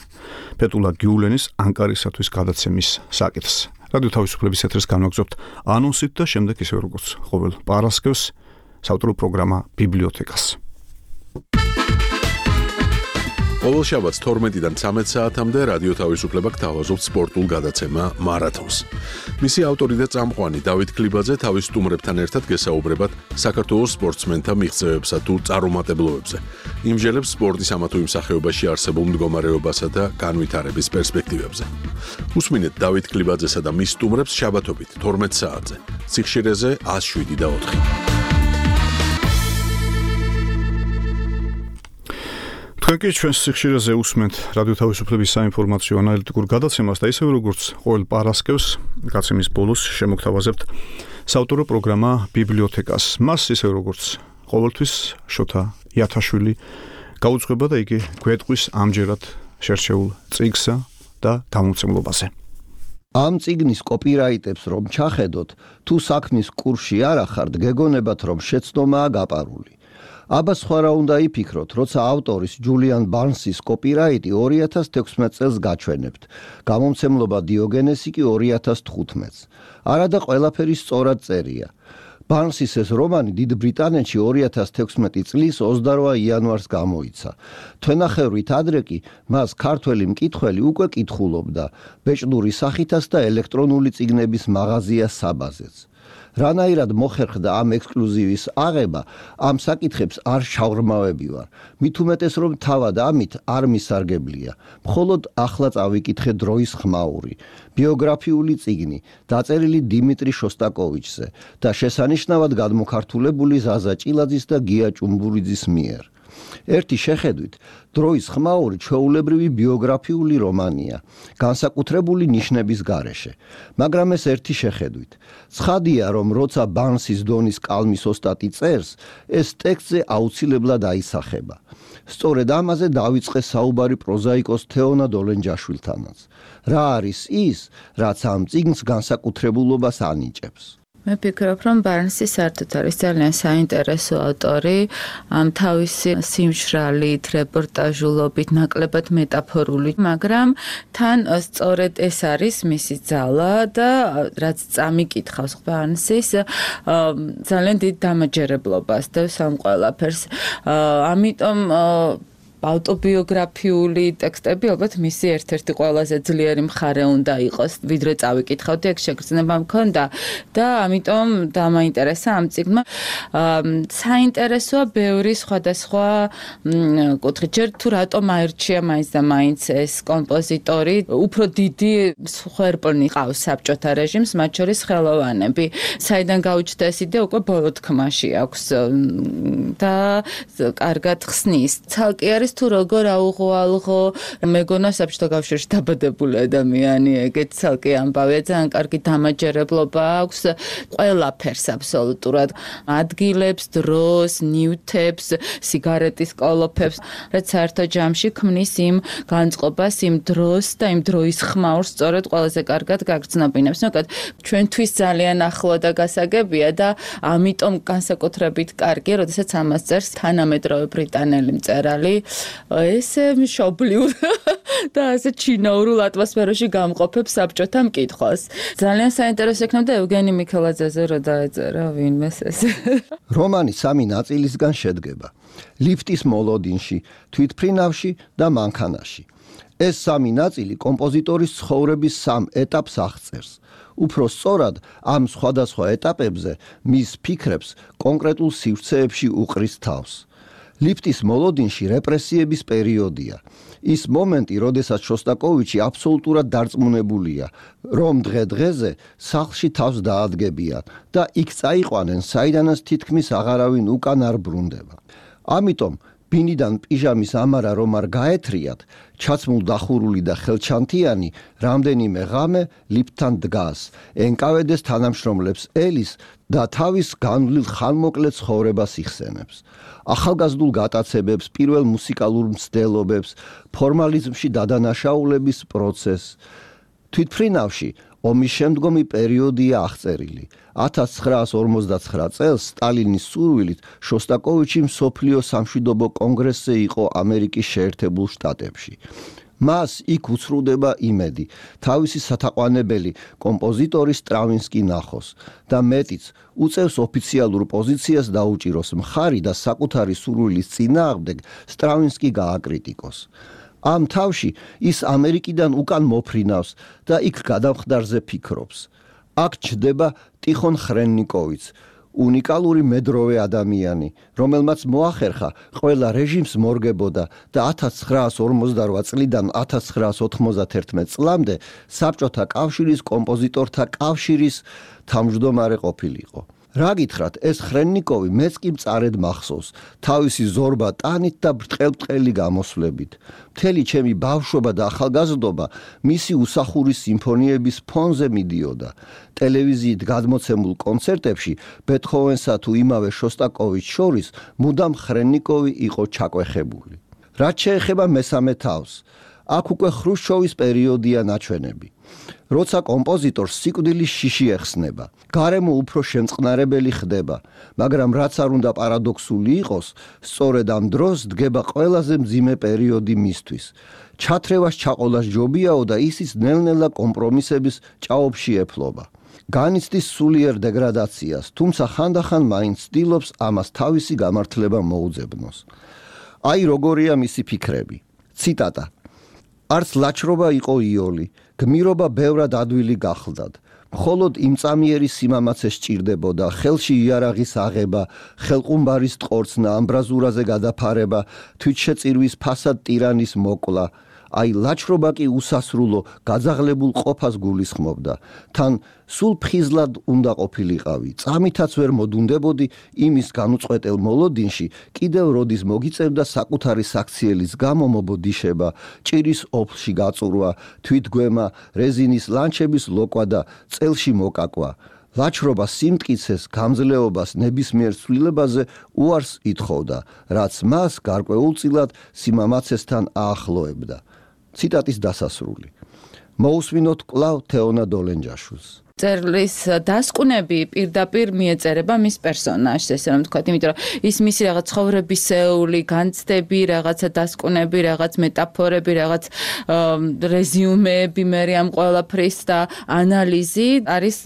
ფეთულა გიულენის ანკარისათვის გადაცემის საკითხს. რადიო თავისუფლების ეთერს განვაგრძობთ ანონსით და შემდეგ ისე როგორც ყოველ პარასკევს საავტორო პროგრამა ბიბლიოთეკას. ყოველ შაბათს თორმეტიდან ცამეტ საათამდე რადიო თავისუფლება გთავაზობთ სპორტულ გადაცემა მარათონს. მისი ავტორი და წამყვანი დავით ქლიბაძე თავის სტუმრებთან ერთად გესაუბრებათ საქართველოს სპორტსმენთა მიღწევებსა თუ წარუმატებლობებზე. იმჟელებს სპორტის ამა თუ იმ სახეობაში არსებულ მდგომარეობასა და განვითარების პერსპექტივებზე. უსმინეთ დავით ქლიბაძესა და მის სტუმრებს შაბათობით თორმეტ საათზე. სიხშირეზე one oh seven და ოთხი. თქვენ კი ჩვენს სიხშირეზე უსმენთ რადიო თავისუფლების საინფორმაციო ანალიტიკურ გადაცემას და ისევე როგორც ყოველ პარასკევს გაცემის ბოლოს შემოგთავაზებთ საავტორო პროგრამა ბიბლიოთეკას. მას ისევე როგორც ყოველთვის შოთა იათაშვილი გაუძღვება და იგი გვეტყვის ამჯერად შერჩეულ წიგნსა და გამომცემლობაზე. ამ წიგნის კოპირაიტებს რომ ჩახედოთ, თუ საქმის კურსში არ ახართ, გეგონებათ რომ შეცდომაა გაპარული. აბა სხვა რა უნდა იფიქროთ, როცა ავტორის ჯულიან ბარნსის კოპირაიტი ორი ათას თექვსმეტ წელს გაჩვენებთ, გამომცემლობა დიოგენესი კი ორი ათას თხუთმეტს. არადა ყველაფერი სწორად წერია. ბარნსის ეს რომანი დიდ ბრიტანეთში ორი ათას თექვსმეტი წლის ოცდაორი იანვარს გამოიცა. თვენახევრით ადრე კი მას ქართველი მკითხველი უკვე კითხულობდა, ბეჭდური სახითაც და ელექტრონული წიგნების მაღაზია საბაზეც. რანაირად მოხერხდა ამ ექსკლუზივის აღება, ამ საკითხებს არ შავრმავები ვარ. მით უმეტეს რომ თავად ამით არ მისარგებლია. მხოლოდ ახლა წავიკითხე დროის ხმაური, ბიოგრაფიული წიგნი, დაწერილი დიმიტრი შოსტაკოვიჩზე და შესანიშნავად გადმოქართულებული ზაზა ჭილაძის და გია ჭუმბურიძის მიერ. ერთი შეხედვით, დროის ხმაური ჩვეულებრივი ბიოგრაფიული რომანია, განსაკუთრებული ნიშნების გარეშე, მაგრამ ეს ერთი შეხედვით. ცხადია, რომ როცა ბარნსის დონის კალმის ოსტატი წერს, ეს ტექსტზე აუცილებლად აისახება. სწორედ ამაზე დავიწყე საუბარი პროზაიკოს თეონა დოლენჯაშვილთანაც. რა არის ის, რაც ამ წიგნს განსაკუთრებულობას ანიჭებს? მე ვფიქრობ, რომ ბარნსი საერთოდ არის ძალიან საინტერესო ავტორი, ამ თავისი სიმშრალით, რეპორტაჟულობით, ნაკლებად მეტაფორული, მაგრამ თან სწორედ ეს არის მისი ძალა და რაც წამიკითხავს ბარნსის, ძალიან დიდ დამაჯერებლობას დევს ამ ყველაფერს. ამიტომ ავტობიოგრაფიული ტექსტები ალბათ მისი ერთ-ერთი ყველაზე ძლიერი მხარე უნდა იყოს, ვიდრე წავიკითხავდი, ეგ შეგრძნება მქონდა და ამიტომ დამაინტერესა ამ წიგნმა. საინტერესოა ბევრი სხვადასხვა კუთხით, ჯერ თუ რატომ აირჩია მაინც და მაინც ეს კომპოზიტორი, უფრო დიდი სხერპლი ყავს საბჭოთა რეჟიმს, მათ შორის ხელოვანები. საიდან გაუჩნდა ეს იდეა, უკვე ბოლო თქმაში აქვს და კარგად ხსნის. ცალკე არის თუ როგორ აუღვალღო, მეგონა საბჭოთა კავშირში დაბადებული ადამიანი, ეგეც ცალკე ამბავია, ძალიან კარგი დამაჯერებლობა აქვს ყველაფერს აბსოლუტურად, ადგილებს, დროს, ნივთებს, სიგარეტის კოლოფებს, რაც საერთო ჯამში ქმნის იმ განწყობას, იმ დროს და იმ დროის ხმაურს სწორედ ყველაზე კარგად გაგრძნობინებს. ნაკად ჩვენთვის ძალიან ახლო და გასაგებია და ამიტომ განსაკუთრებით კარგია, როდესაც ამას წერს თანამედროვე ბრიტანელი მწერალი. ესე მშობლიურ და ასე ჩინაურულ ატმოსფეროში გამყოფებს საბჭოთა მკითხვას. ძალიან საინტერესო იქნება ევგენი მიქელაძეზე რო დაეწერა ვინმეს ეს. რომანი სამი ნაწილისგან შედგება: ლიფტის მოლოდინში, თვითფრინავში და მანქანაში. ეს სამი ნაწილი კომპოზიტორის ცხოვრების სამ ეტაპს აღწერს. უფრო სწორად, ამ სხვადასხვა ეტაპებზე მის ფიქრებს კონკრეტულ სივრცეებში უყრის თავს. ლიფტის მოლოდინში რეპრესიების პერიოდია. ის მომენტი, როდესაც შოსტაკოვიჩი აბსოლუტურად დარწმუნებულია, რომ დღე-დღეზე სახლში თავს დაადგებიან და იქ წაიყვანენ, საიდანაც თითქმის აღარავინ უკან არ ბრუნდება. ამიტომ ბინიდან პიჟამის ამარა რომ არ გაეთრიათ, ჩაცმულ დახურული და ხელჩანთიანი რამდენიმე ღამე ლიფტთან დგას, ენკავედეს თანამშრომლებს ელის და თავის განვლილ ხანმოკლე ცხოვრებას იხსენებს. ახალგაზრდულ გატაცებებს, პირველ მუსიკალურ მცდელობებს, ფორმალიზმში დადანაშაულების პროცესს. თვითფრინავში ომის შემდგომი პერიოდია აღწერილი. ათას ცხრაას ორმოცდაცხრა წელს სტალინის სურვილით შოსტაკოვიჩი მსოფლიო სამშვიდობო კონგრესზე იყო ამერიკის შეერთებულ შტატებში. მას იქ უცრუდება იმედი, თავისი სათაყვანებელი კომპოზიტორი სტრავინსკი ნახოს და მეტიც უწევს ოფიციალურ პოზიციას დაუჭიროს მხარი და საკუთარი სურვილის წინააღმდეგ სტრავინსკი გააკრიტიკოს. ამ თავში ის ამერიკიდან უკან მოფრინავს და იქ გადამხდარზე ფიქრობს. აქ ჩდება ტიხონ ხრენნიკოვიც, უნიკალური მედროვე ადამიანი, რომელმაც მოახერხა ყველა რეჟიმს მორგებოდა და ათას ცხრაას ორმოცდარვა წლიდან ათას ცხრაას ოთხმოცდაათერთმეტ წლამდე საბჭოთა კავშირის კომპოზიტორთა კავშირის თავმჯდომარე ყოფილიყო. რა გითხრათ, ეს ხრენნიკოვი მეც კი მწარედ მახსოვს, თავისი ზორბა ტანით და ბრტყელ-ბრტყელი გამოსვლებით. მთელი ჩემი ბავშვობა და ახალგაზრდობა მისი უსახური სიმფონიების ფონზე მიდიოდა. ტელევიზიით გადმოცემულ კონცერტებში ბეთჰოვენსა თუ იმავე შოსტაკოვიჩს შორის მუდამ ხრენნიკოვი იყო ჩაკვეხებული. რაც შეეხება მესამე თავს, აქ უკვე ხრუშჩოვის პერიოდია ნაჩვენები. როცა კომპოზიტორს სიკვდილის შიში ეხსნება, გარემო უფრო შემწყნარებელი ხდება, მაგრამ რაც არ უნდა პარადოქსული იყოს, სწორედ ამ დროს დგება ყველაზე მძიმე პერიოდი მისთვის. ჩათრევას ჩაყოლას ჯობიაო და ისიც ნელ-ნელა კომპრომისების ჭაობში ეფლობა. განიცდის სულიერ დეგრადაციას, თუმცა ხანდახან მაინც ცდილობს ამას თავისი გამართლება მოუძებნოს. აი როგორია მისი ფიქრები. ციტატა: არც ლაჩრობა იყო იოლი, გმირობა ბევრად ადვილი გახლდათ. მხოლოდ იმწამიერი სიმამაცე სჭირდებოდა, ხელში იარაღის აღება, ხელყუმბარის ტყორცნა, ამბრაზურაზე გადაფარება, თვითშეწირვის ფასად ტირანის მოკლა. აი ლაჩრობა კი უსასრულო, გაძაღლებულ ყოფას გულისხმობდა. თან სულ ფხიზლად უნდა ყოფილიყავი, წამითაც ვერ მოდუნდებოდი იმის განუწყვეტელ მოლოდინში, კიდევ როდის მოგიწევდა საკუთარი საქციელის გამო მობოდიშება, ჭირის ოფლში გაწურვა, თვითგვემა, რეზინის ლანჩების ლოკვა და წელში მოკაკვა. ლაჩრობა სიმტკიცეს, გამძლეობას, ნებისმიერ ცვლილებაზე უარს ითხოვდა, რაც მას გარკვეულწილად სიმამაცესთან აახლოებდა. ციტატის დასასრული. მოусვინოთ კვლავ თეონა დოლენჯაშვილს. წერლის დასკვნები პირდაპირ მიეწერება მის პერსონაჟს, ესე რომ ვთქვათ, იმიტომ რომ ის მისი რაღაც ცხოვრებისეული, განცდები, რაღაცა დასკვნები, რაღაც მეტაფორები, რაღაც რეზიუმეები მერე ამ ყველაფრის და ანალიზი არის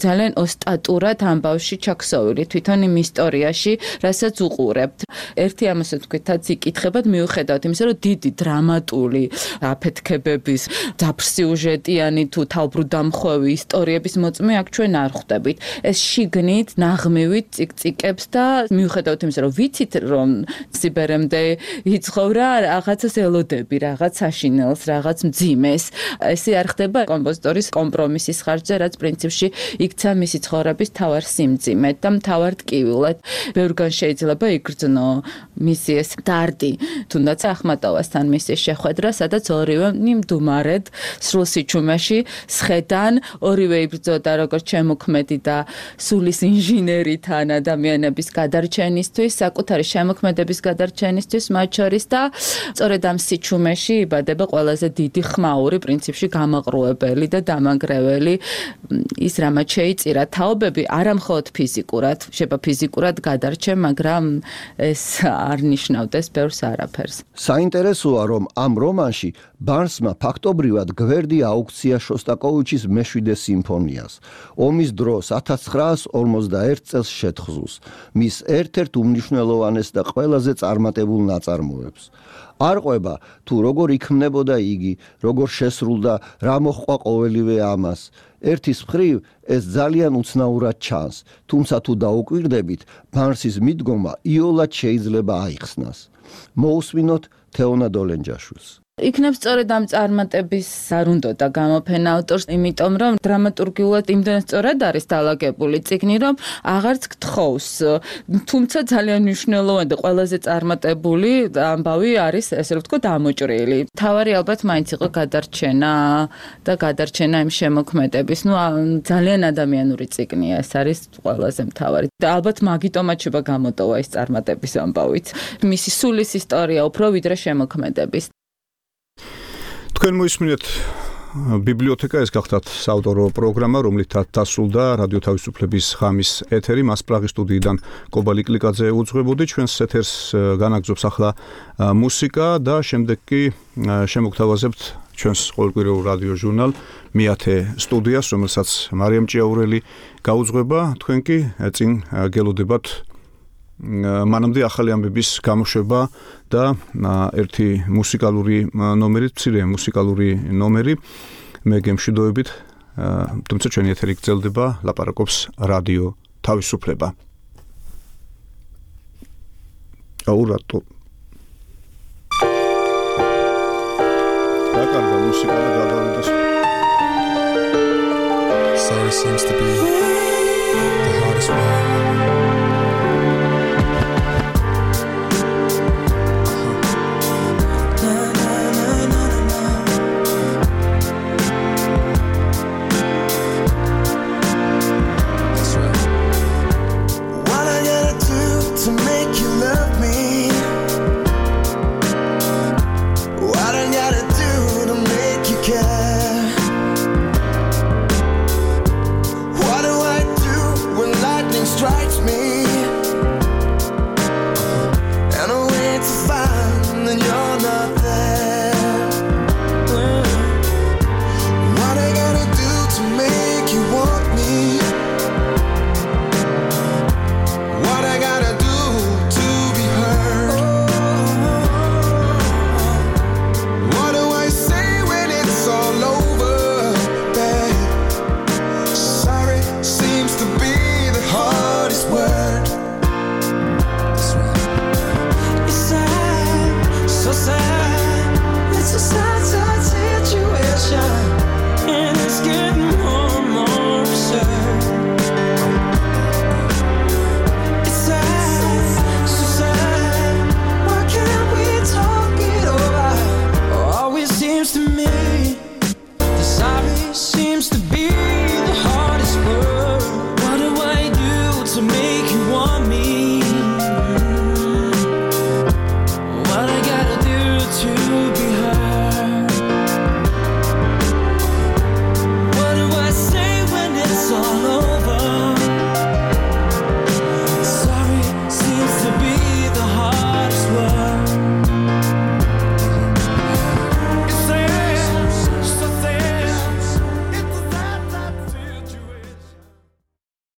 ძალიან ოსტატურად ამბავში ჩაქსოვილი თვითონ იმ ისტორიაში, რასაც უყურებთ. ერთი ამასაც ვთქვითაც იკითხებად მიუხედავად იმისა, რომ დიდი დრამატული აფეთქებების, დაფსიუჟეტიანი თუ თავბრუდამხვევი ისტორიების მოწმე აქ ჩვენ არ ხვდებით. ეს შიგნით, ნაღმივით წიკწიკებს და მიუხედავად იმისა, რომ ვიცით, რომ სიბერემდე იცხოვრა, რაღაცას ელოდები, რაღაც საშინელს, რაღაც მძიმეს. ესე არ ხდება კომპოზიტორის კომპრომისის ხარჯზე, რაც პრინციპში იქცა მისი ცხოვრების თავარ სიმძიმედ და მთავარ ტკივილად. ბევრგან შეიძლება იგრძნო მისი ეს დარდი, თუნდაც ახმატოვასთან მისი შეხვედრა, სადაც ორივე მდუმარედ სრულ სიჩუმეში სხედან, ორივე იბრძოდა როგორც შემოქმედი და სულის ინჟინერი თან ადამიანების გადარჩენისთვის, საკუთარი შემოქმედების გადარჩენისთვის მათ შორის და სწორედ ამ სიჩუმეში იბადება ყველაზე დიდი ხმაური, პრინციპში გამაყრუებელი და დამანგრეველი ის რამაც შეიწირა თაობები, არა მხოლოდ ფიზიკურად, შეიძლება ფიზიკურად გადარჩენ, მაგრამ ეს არ ნიშნავდეს ბევრს არაფერს. საინტერესოა, რომ ამ რომანში ბარნსმა ფაქტობრივად გვერდი აუქცია შოსტაკოვიჩის მეშვიდე სიმფონიას. ომის დროს ათას ცხრაასი ორმოცდაერთი წელს შეთხზულს, მის ერთ-ერთ უმნიშვნელოვანეს და ყველაზე წარმატებულ ნაწარმოებს. არ ყვება თუ როგორ იქმნებოდა იგი, როგორ შესრულდა, რა მოჰყვა ყოველივე ამას. ერთის მხრივ ეს ძალიან უცნაურად ჩანს, თუმცა თუ დაუკვირდებით, ბარნსის მიდგომა იოლად შეიძლება აიხსნას. მოусვინოთ თეონა დოლენჯაშვილს. იქნებ სწორედ ამ წარმატების არ უნდოდა გამოფენა ავტორს, იმიტომ რომ დრამატურგიულად იმდენად სწორად არის დალაგებული წიგნი, რომ აღარც გთხოვს. თუმცა ძალიან მნიშვნელოვანი და ყველაზე წარმატებული ამბავი არის, ესე რომ ვთქვა, დამოჭრილი. თავარი ალბათ მაინც იყო გადარჩენა და გადარჩენა იმ შემოქმედების. ნუ ძალიან ადამიანური წიგნია, ეს არის ყველაზე მთავარი. და ალბათ მაგიტომაც შეიძლება გამოტოვა ის წარმატების ამბავიც. მისი სულის ისტორია უფრო ვიდრე შემოქმედების. თქვენ მოისმინეთ ბიბლიოთეკა, ეს გახდათ საავტორო პროგრამა, რომლითაც დასრულდა რადიო თავისუფლების ხამის ეთერი. მას პრაღის სტუდიიდან კობალი კლიკაძე უძღვებოდი. ჩვენს ეთერს განაგრძობს ახლა მუსიკა და შემდეგ კი შემოგთავაზებთ ჩვენს ყოველკვირეულ რადიო ჟურნალ მეათე სტუდიას, რომელსაც მარიამ ჭიაურელი გაუძღვება. თქვენ კი წინ გელოდებათ მანამდე ახალი ამბების გამოშვება და ერთი მუსიკალური ნომერი, მცირე მუსიკალური ნომერი. მე გემშვიდობებით, თუმცა ჩვენი ეთერი გრძელდება, ლაპარაკობს რადიო თავისუფლება. აუ რატო? დაკარგა მუსიკა და გადავიდა. Sorry seems to be the hardest one.